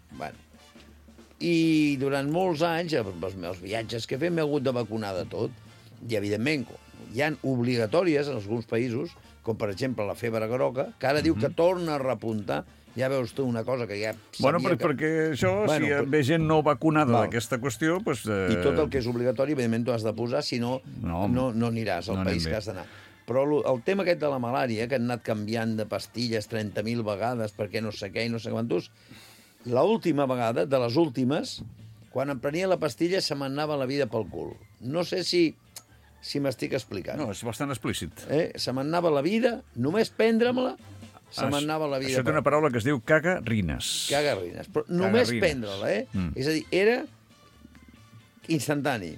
I durant molts anys, els meus viatges que he fet, m'he hagut de vacunar de tot. I, evidentment, hi ha obligatòries en alguns països, com per exemple la febre groga, que ara diu que torna a repuntar. Ja veus tu una cosa que ja sabia perquè això, si ve gent no vacunada d'aquesta qüestió... I tot el que és obligatori, evidentment, t'ho has de posar, si no, no aniràs al país que has d'anar. Però el tema aquest de la malària, que han anat canviant de pastilles 30.000 vegades perquè no sé què i no sé quantos, l'última vegada, de les últimes, quan em prenia la pastilla se m'anava la vida pel cul. No sé si m'estic explicant. No, és bastant explícit. Se m'anava la vida, només prendre-me-la, se m'anava la vida... Això té una paraula que es diu cagarrines. Cagarrines. Però només prendre-la, És a dir, era instantani.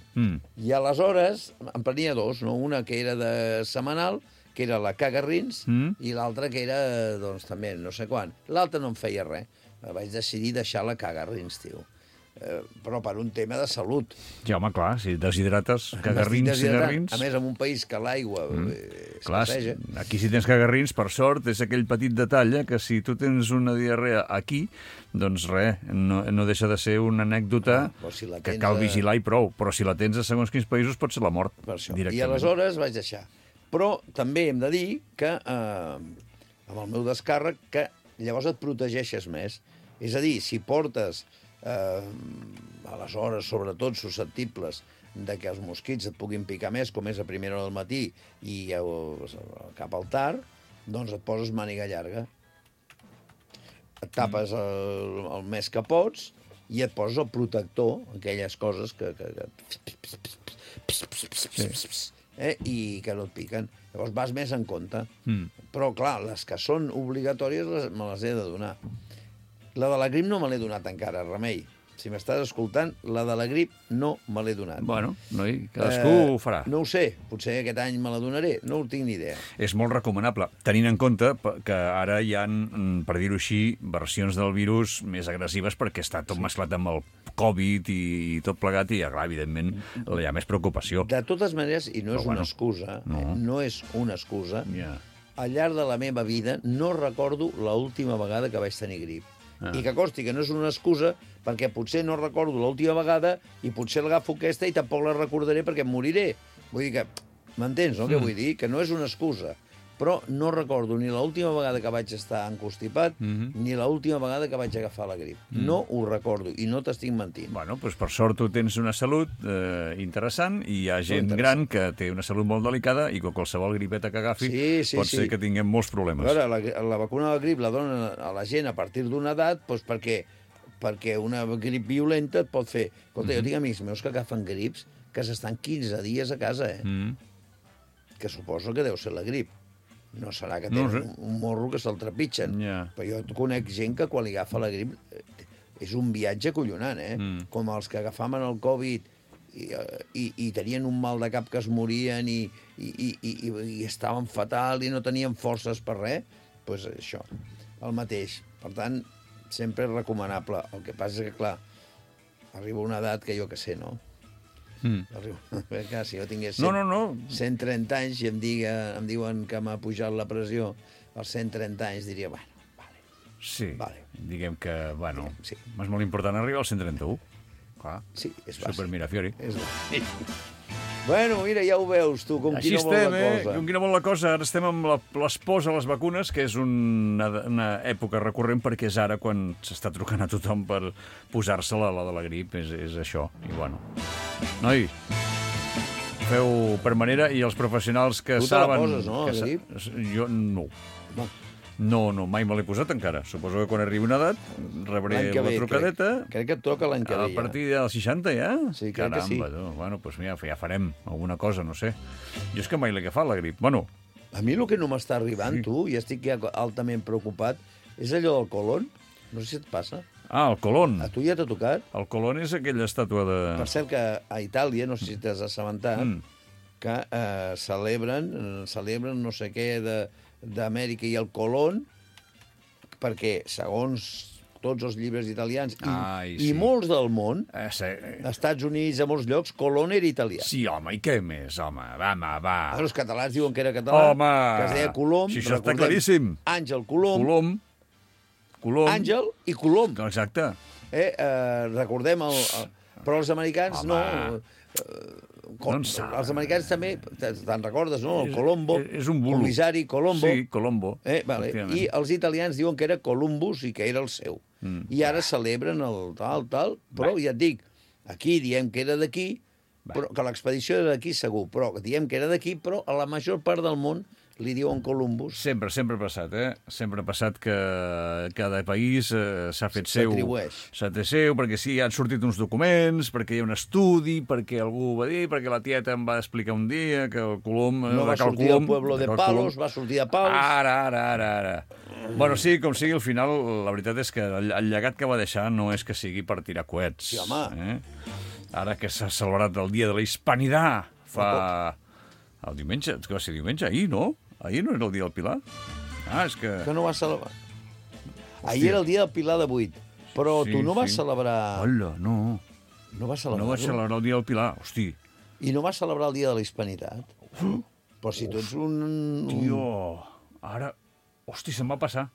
I aleshores em prenia dos, no? Una que era de setmanal, que era la cagarrins, i l'altra que era, doncs, també, no sé quan. L'altra no em feia res. Vaig decidir deixar la cagarrins, tio. Però per un tema de salut. Ja, home, clar, si deshidrates cagarrins. A més, en un país que l'aigua escasseja. Aquí si tens cagarrins, per sort, és aquell petit detall que si tu tens una diarrea aquí, doncs res, no deixa de ser una anècdota que cal vigilar i prou. Però si la tens a segons quins països pot ser la mort. I aleshores vaig deixar. Però també hem de dir que amb el meu descàrrec que llavors et protegeixes més. És a dir, si portes aleshores, sobretot, susceptibles de que els mosquits et puguin picar més, com és a primera hora del matí i cap al tard, doncs et poses màniga llarga. Et tapes el més que pots i et poses el protector, aquelles coses que i que no et piquen. Llavors vas més en compte. Però, clar, les que són obligatòries me les he de donar. La de la grip no me l'he donat encara, Remei. Si m'estàs escoltant, la de la grip no me l'he donat. Bueno, cadascú ho farà. No ho sé, potser aquest any me la donaré, no ho tinc ni idea. És molt recomanable, tenint en compte que ara hi ha, per dir-ho així, versions del virus més agressives perquè està tot mesclat amb el Covid i tot plegat i, clar, evidentment, hi ha més preocupació. De totes maneres, i no és una excusa, no és una excusa, al llarg de la meva vida no recordo l'última vegada que vaig tenir grip. I que costi que no és una excusa perquè potser no recordo l'última vegada i potser l'agafo aquesta i tampoc la recordaré perquè em moriré. Vull dir que... M'entens, no? Què vull dir? Que no és una excusa. però no recordo ni l'última vegada que vaig estar encostipat ni l'última vegada que vaig agafar la grip. No ho recordo, i no t'estic mentint. Bueno, doncs per sort tu tens una salut interessant i hi ha gent gran que té una salut molt delicada i que qualsevol gripeta que agafi pot ser que tinguem molts problemes. A veure, la vacuna de la grip la donen a la gent a partir d'una edat doncs perquè una grip violenta et pot fer... Escolta, jo tinc amics meus que agafen grips que s'estan 15 dies a casa, que suposo que deu ser la grip. No serà que tenen un morro que se'l trepitgen. Però jo conec gent que quan li agafa la grip és un viatge collonant, com els que agafaven el Covid i tenien un mal de cap que es morien i estaven fatal i no tenien forces per res, doncs això, el mateix. Per tant, sempre és recomanable. El que passa és que, clar, arriba una edat que jo que sé, no? Clar, si jo tingués 130 anys i em diuen que m'ha pujat la pressió als 130 anys, diria, bueno, vale. Sí, diguem que, bueno, és molt important arribar als 131. Clar, sí, és bàsic. Supermirafiori. És bàsic. Bueno, mira, ja ho veus, tu, com qui no vol la cosa. Com qui no vol la cosa. Ara estem amb les pors a les vacunes, que és una època recurrent, perquè és ara quan s'està trucant a tothom per posar-se-la, la de la grip, és això. I bueno, noi, feu per manera, i els professionals que saben... Tu te la poses, no, la grip? Jo no. No, mai me l'he posat encara. Suposo que quan arribi una edat rebré la trucadeta. Crec que et toca l'any que ve. A partir dels 60 ja? Sí, crec que sí. Caramba, bueno, doncs mira, ja farem alguna cosa, no sé. Jo és que mai l'he agafat, la grip. Bueno. A mi el que no m'està arribant, tu, i estic ja altament preocupat, és allò del colon. No sé si et passa. Ah, el colon. A tu ja t'ha tocat? El colon és aquella estàtua de... Per cert que a Itàlia, no sé si t'has assabentat, que celebren no sé què d'Amèrica i el Colón, perquè, segons tots els llibres italians i molts del món, Estats Units, a molts llocs, Colón era italià. Sí, home, i què més, home? Va. Els catalans diuen que era català, que es deia Colom. Si això està claríssim. Àngel Colom. Àngel i Colom. Exacte. Recordem però els americans no... Els americans també, te'n recordes, no? El Colombo, és un bulo. Comissari Colombo. Sí, Colombo. I els italians diuen que era Columbus i que era el seu. I ara celebren el tal, però ja et dic, aquí diem que era d'aquí, que l'expedició era d'aquí segur, però diem que era d'aquí, però a la major part del món li diuen Columbus. Sempre ha passat, Sempre ha passat que cada país s'ha fet seu. S'ha fet seu, perquè sí, han sortit uns documents, perquè hi ha un estudi, perquè algú va dir, perquè la tieta em va explicar un dia que el Colom... No va sortir del Pueblo de Palos, va sortir de Pals. Ara. Bueno, sí, com sigui, al final, la veritat és que el llegat que va deixar no és que sigui per tirar coets. Sí, home. Ara que s'ha celebrat el Dia de la Hispanidad, el diumenge, que va ser diumenge, ahir, no? Ahir no era el dia del Pilar? És que... Que no vas celebrar. Ahir era el dia del Pilar de 8, però tu no vas celebrar... Hola, no. No vas celebrar-ho? No vaig celebrar el dia del Pilar, hosti. I no vas celebrar el dia de la Hispanitat? Però si tu ets un... Tio, ara... Hosti, se'm va passar.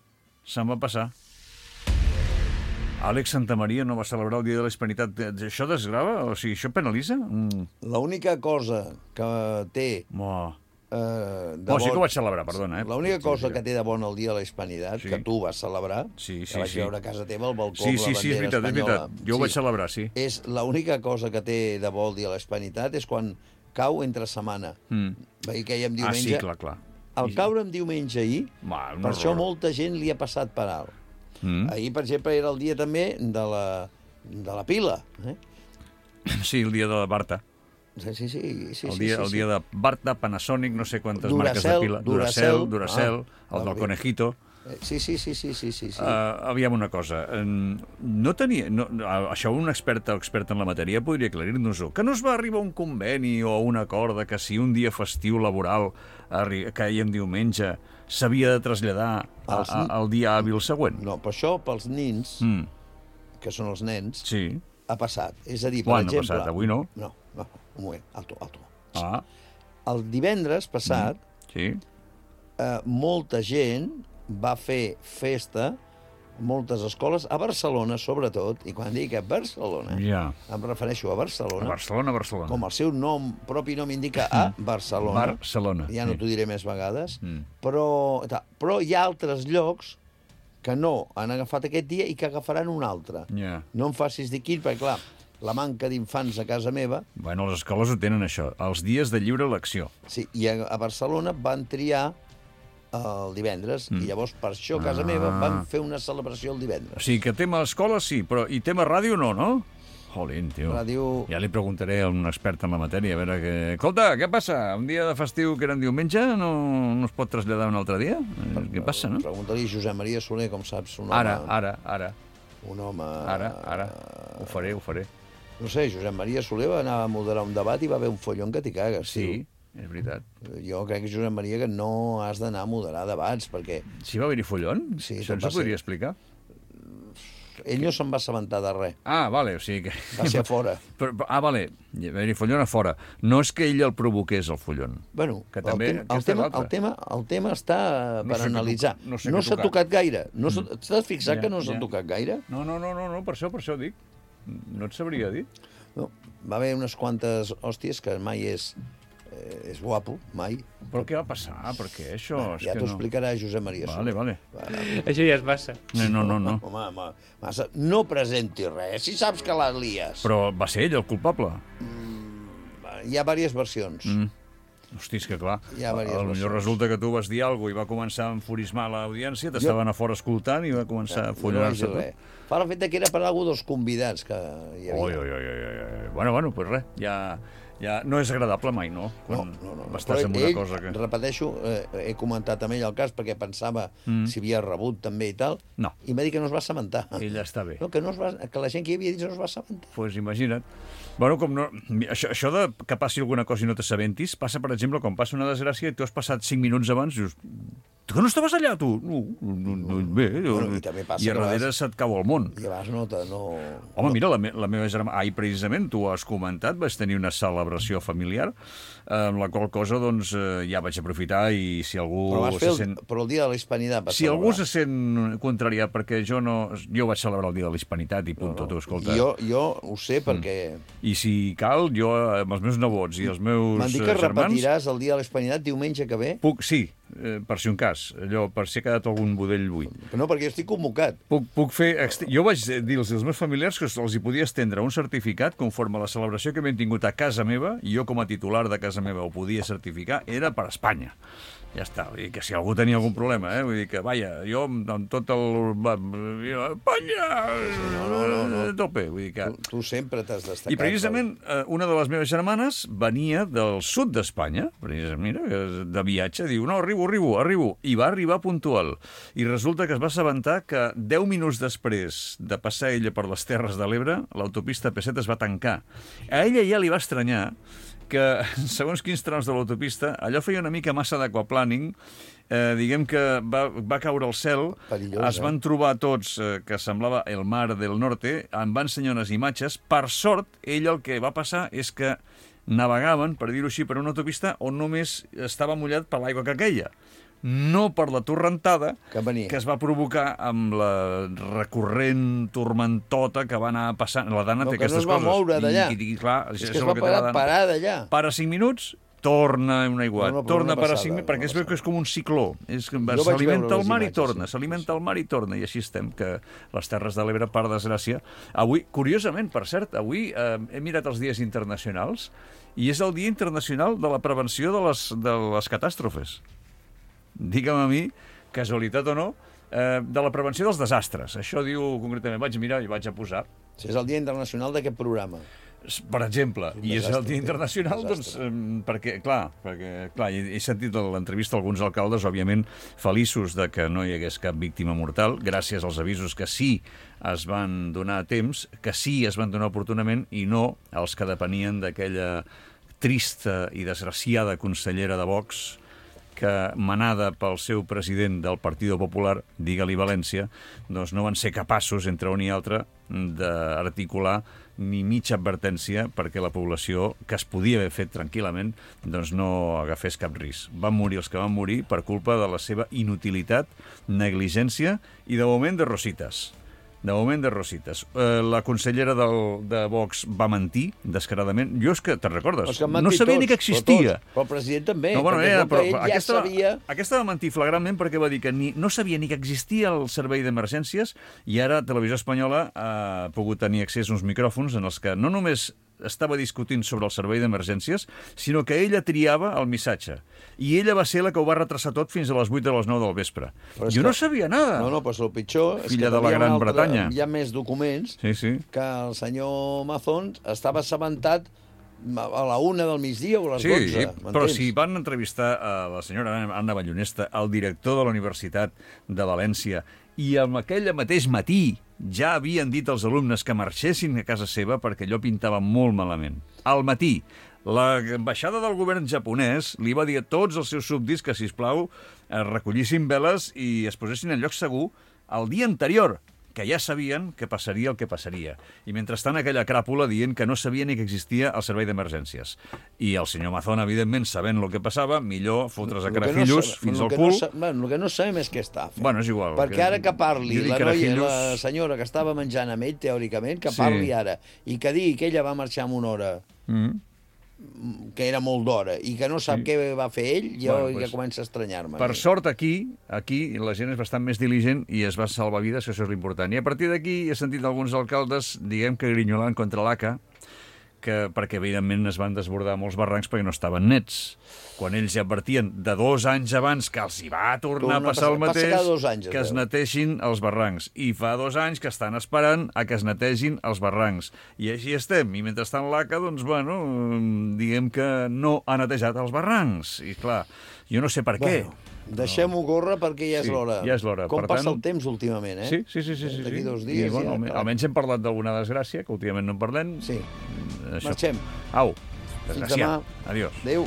Àlex Santamaria no va celebrar el dia de la Hispanitat. Això desgrava? O sigui, això penalitza? L'única cosa que té... sí que ho vaig celebrar, perdona. L'única cosa que té de bona el dia de la Hispanitat, que tu vas celebrar, que vaig veure a casa teva, al balcó, la bandera espanyola. És veritat. Jo ho vaig celebrar, sí. És l'única cosa que té de bo el dia de la Hispanitat és quan cau entre setmana. Veia que hi ha diumenge. Sí, clar. Al caure en diumenge ahir, per això molta gent li ha passat per alt. Ahir, per exemple, era el dia també de la pila. Sí, el dia de la Barta. Sí. El dia de Barta, Panasonic, no sé quantes marques de pila. Duracell, el del Conejito. Sí. Aviam una cosa. No tenia... això un expert o experta en la matèria podria aclarir-nos-ho. Que no es va arribar a un conveni o a un acord que si un dia festiu laboral caia en diumenge s'havia de traslladar al dia hàbil següent? No, però això pels nins, que són els nens, ha passat. És a dir, per exemple... Quan ha passat? Avui no? No, un moment, alto. El divendres passat, molta gent va fer festa moltes escoles, a Barcelona, sobretot, i quan dic a Barcelona, em refereixo a Barcelona, com el seu propi nom indica, a Barcelona. Ja no t'ho diré més vegades, però hi ha altres llocs que no han agafat aquest dia i que agafaran un altre. No em facis dir quin, perquè, clar, la manca d'infants a casa meva... Bueno, les escoles ho tenen, això, els dies de lliure elecció. Sí, i a Barcelona van triar el divendres, i llavors per això a casa meva van fer una celebració el divendres. O sigui que tema escola sí, però i tema ràdio no, no? Jolín, tio. Ja li preguntaré a un expert en la matèria, a veure què... Escolta, què passa? Un dia de festiu que era en diumenge no es pot traslladar un altre dia? Què passa, no? Pregunta-li a Josep Maria Soler, com saps, un home... Ara. Un home... Ara. Ho faré. No sé, Josep Maria Soler va anar a moderar un debat i va haver un follon que t'hi cagues. Sí, és veritat. Jo crec, Josep Maria, que no has d'anar a moderar debats, perquè... Sí, va haver-hi follon? Sí. Això ens ho podria explicar? Ell no se'n va assabentar de res. Vale, o sigui que... Va ser a fora. Vale, va haver-hi follon a fora. No és que ell el provoqués, el follon. Bueno, que també, el tema està per analitzar. No s'ha tocat gaire. T'has fixat que no s'ha tocat gaire? No, per això dic. No et sabria dir. No, va haver unes quantes hòsties que mai és guapo, mai. Però què va passar? Per què això? Ja t'ho explicarà Josep Maria Soler. Vale. Això ja és massa. No. Home, massa. No presenti res, si saps que la lies. Però va ser ell el culpable? Hi ha diverses versions. Hosti, és que clar, potser resulta que tu vas dir alguna cosa i va començar a enfurismar l'audiència, t'estaven a fora escoltant i va començar a follonar-se tot. Fa el fet que era per alguna dels convidats que hi havia. Bueno, pues res, ja no és agradable mai, no? Quan estàs en una cosa que... Repeteixo, he comentat amb ell el cas perquè pensava si havia rebut també i tal, i m'ha dit que no es va assabentar. Ell està bé. No, que la gent que hi havia dit no es va assabentar. Pues imagina't. Bueno, això de que passi alguna cosa i no t'assabentis, passa, per exemple, quan passa una desgràcia i tu has passat 5 minuts abans i dius, que no estaves allà, tu? No, bé. I a darrere se't cau el món. I abans no... Home, mira, la meva germana... Precisament, tu ho has comentat, vaig tenir una celebració familiar, amb la qual cosa, doncs, ja vaig aprofitar i si algú se sent... Però el dia de la Hispanitat Si algú se sent contrariat perquè jo vaig celebrar el dia de la Hispanitat i punt, tu, escolta. Jo ho sé perquè... I si cal, jo, amb els meus nebots i els meus germans... M'han dit que repetiràs el dia de la Hispanitat diumenge que ve? Sí, per si un cas, allò, per si ha quedat algun budell buit. No, perquè jo estic convocat. Puc fer... Jo vaig dir als meus familiars que els hi podia estendre un certificat conforme a la celebració que havien tingut a casa meva, i jo com a titular de casa meva ho podia certificar, era per Espanya. Ja està, vull dir que si algú tenia algun problema, vull dir que, vaja, jo amb tot el... Espanya! No. Tope, vull dir que... Tu sempre t'has destacat. I precisament una de les meves germanes venia del sud d'Espanya, precisament, de viatge, diu, no, arribo, i va arribar puntual. I resulta que es va assabentar que 10 minuts després de passar ella per les Terres de l'Ebre, l'autopista P7 es va tancar. A ella ja li va estranyar que, segons quins trams de l'autopista, allò feia una mica massa d'aquaplàning, diguem que va caure el cel, es van trobar tots que semblava el mar del norte, em va ensenyar unes imatges. Per sort, ell el que va passar és que navegaven, per dir-ho així, per una autopista on només estava mullat per l'aigua que queia. No per la torrentada que es va provocar amb la recurrent tormentota que va anar passant. La Dana té aquestes coses. Que no es va moure d'allà. És que es va parar d'allà. Para 5 minuts, torna un aiguat. Torna per a 5 minuts, perquè es veu que és com un cicló. S'alimenta al mar i torna, s'alimenta al mar i torna. I així estem, que les Terres de l'Ebre, per desgràcia... Avui, curiosament, per cert, avui he mirat els dies internacionals i és el Dia Internacional de la Prevenció de les Catàstrofes. Digue'm a mi, casualitat o no, de la prevenció dels desastres. Això diu concretament, vaig mirar i vaig a posar. És el Dia Internacional d'aquest programa. Per exemple, i és el Dia Internacional, doncs, perquè he sentit a l'entrevista alguns alcaldes, òbviament, feliços de que no hi hagués cap víctima mortal, gràcies als avisos que sí es van donar a temps, que sí es van donar oportunament, i no els que depenien d'aquella trista i desgraciada consellera de Vox, que, manada pel seu president del Partido Popular, digue-li València, doncs no van ser capaços, entre un i altre, d'articular ni mitja advertència perquè la població, que es podia haver fet tranquil·lament, doncs no agafés cap risc. Van morir els que van morir per culpa de la seva inutilitat, negligència i, de moment, de rosites. De moment, de rosites. La consellera de Vox va mentir descaradament. Jo és que, te'n recordes? No sabia ni que existia. Però el president també. Aquesta va mentir flagrantment perquè va dir que no sabia ni que existia el servei d'emergències i ara Televisió Espanyola ha pogut tenir accés a uns micròfons en els que no només estava discutint sobre el servei d'emergències, sinó que ella triava el missatge. I ella va ser la que ho va retrasar tot fins a les 8 de les 9 del vespre. Jo no sabia nada. No, però el pitjor és Filla de la Gran Bretanya. Hi ha més documents que el senyor Mazón estava assabentat a la 1 del migdia o a les 12. Sí, però si van entrevistar a la senyora Anna Ballonesta, el director de la Universitat de València, i en aquell mateix matí ja havien dit als alumnes que marxessin a casa seva perquè allò pintava molt malament. Al matí, l'ambaixada del govern japonès li va dir a tots els seus súbdits que, sisplau, recollissin veles i es posessin en lloc segur el dia anterior, que ja sabien que passaria el que passaria. I mentrestant aquella cràpula dient que no sabia ni que existia el servei d'emergències. I el senyor Mazón, evidentment, sabent el que passava, millor fotre's a carajillos fins al cul. El que no sabem és què està fent. Bueno, és igual. Perquè ara que parli la senyora que estava menjant amb ell, teòricament, que parli ara, i que digui que ella va marxar en una hora que era molt d'hora, i que no sap què va fer ell, jo ja comença a estranyar-me. Per sort, aquí la gent és bastant més diligent i es va salvar vides, que això és l'important. I a partir d'aquí he sentit alguns alcaldes, diguem que grinyolant contra l'ACA, perquè evidentment es van desbordar molts barrancs perquè no estaven nets. Quan ells ja advertien de 2 anys abans que els hi va tornar a passar el mateix, que es neteixin els barrancs. I fa 2 anys que estan esperant a que es netegin els barrancs. I així estem. I mentrestant l'ACA, doncs, bueno, diguem que no ha netejat els barrancs. I clar, jo no sé per què. Deixem-ho córrer perquè ja és l'hora. Ja és l'hora. Com passa el temps últimament, eh? Sí. D'aquí 2 dies. Almenys hem parlat d'alguna desgràcia, que últimament no en parlem. Sí. Marxem. Au. Fins demà. Adiós. Adéu.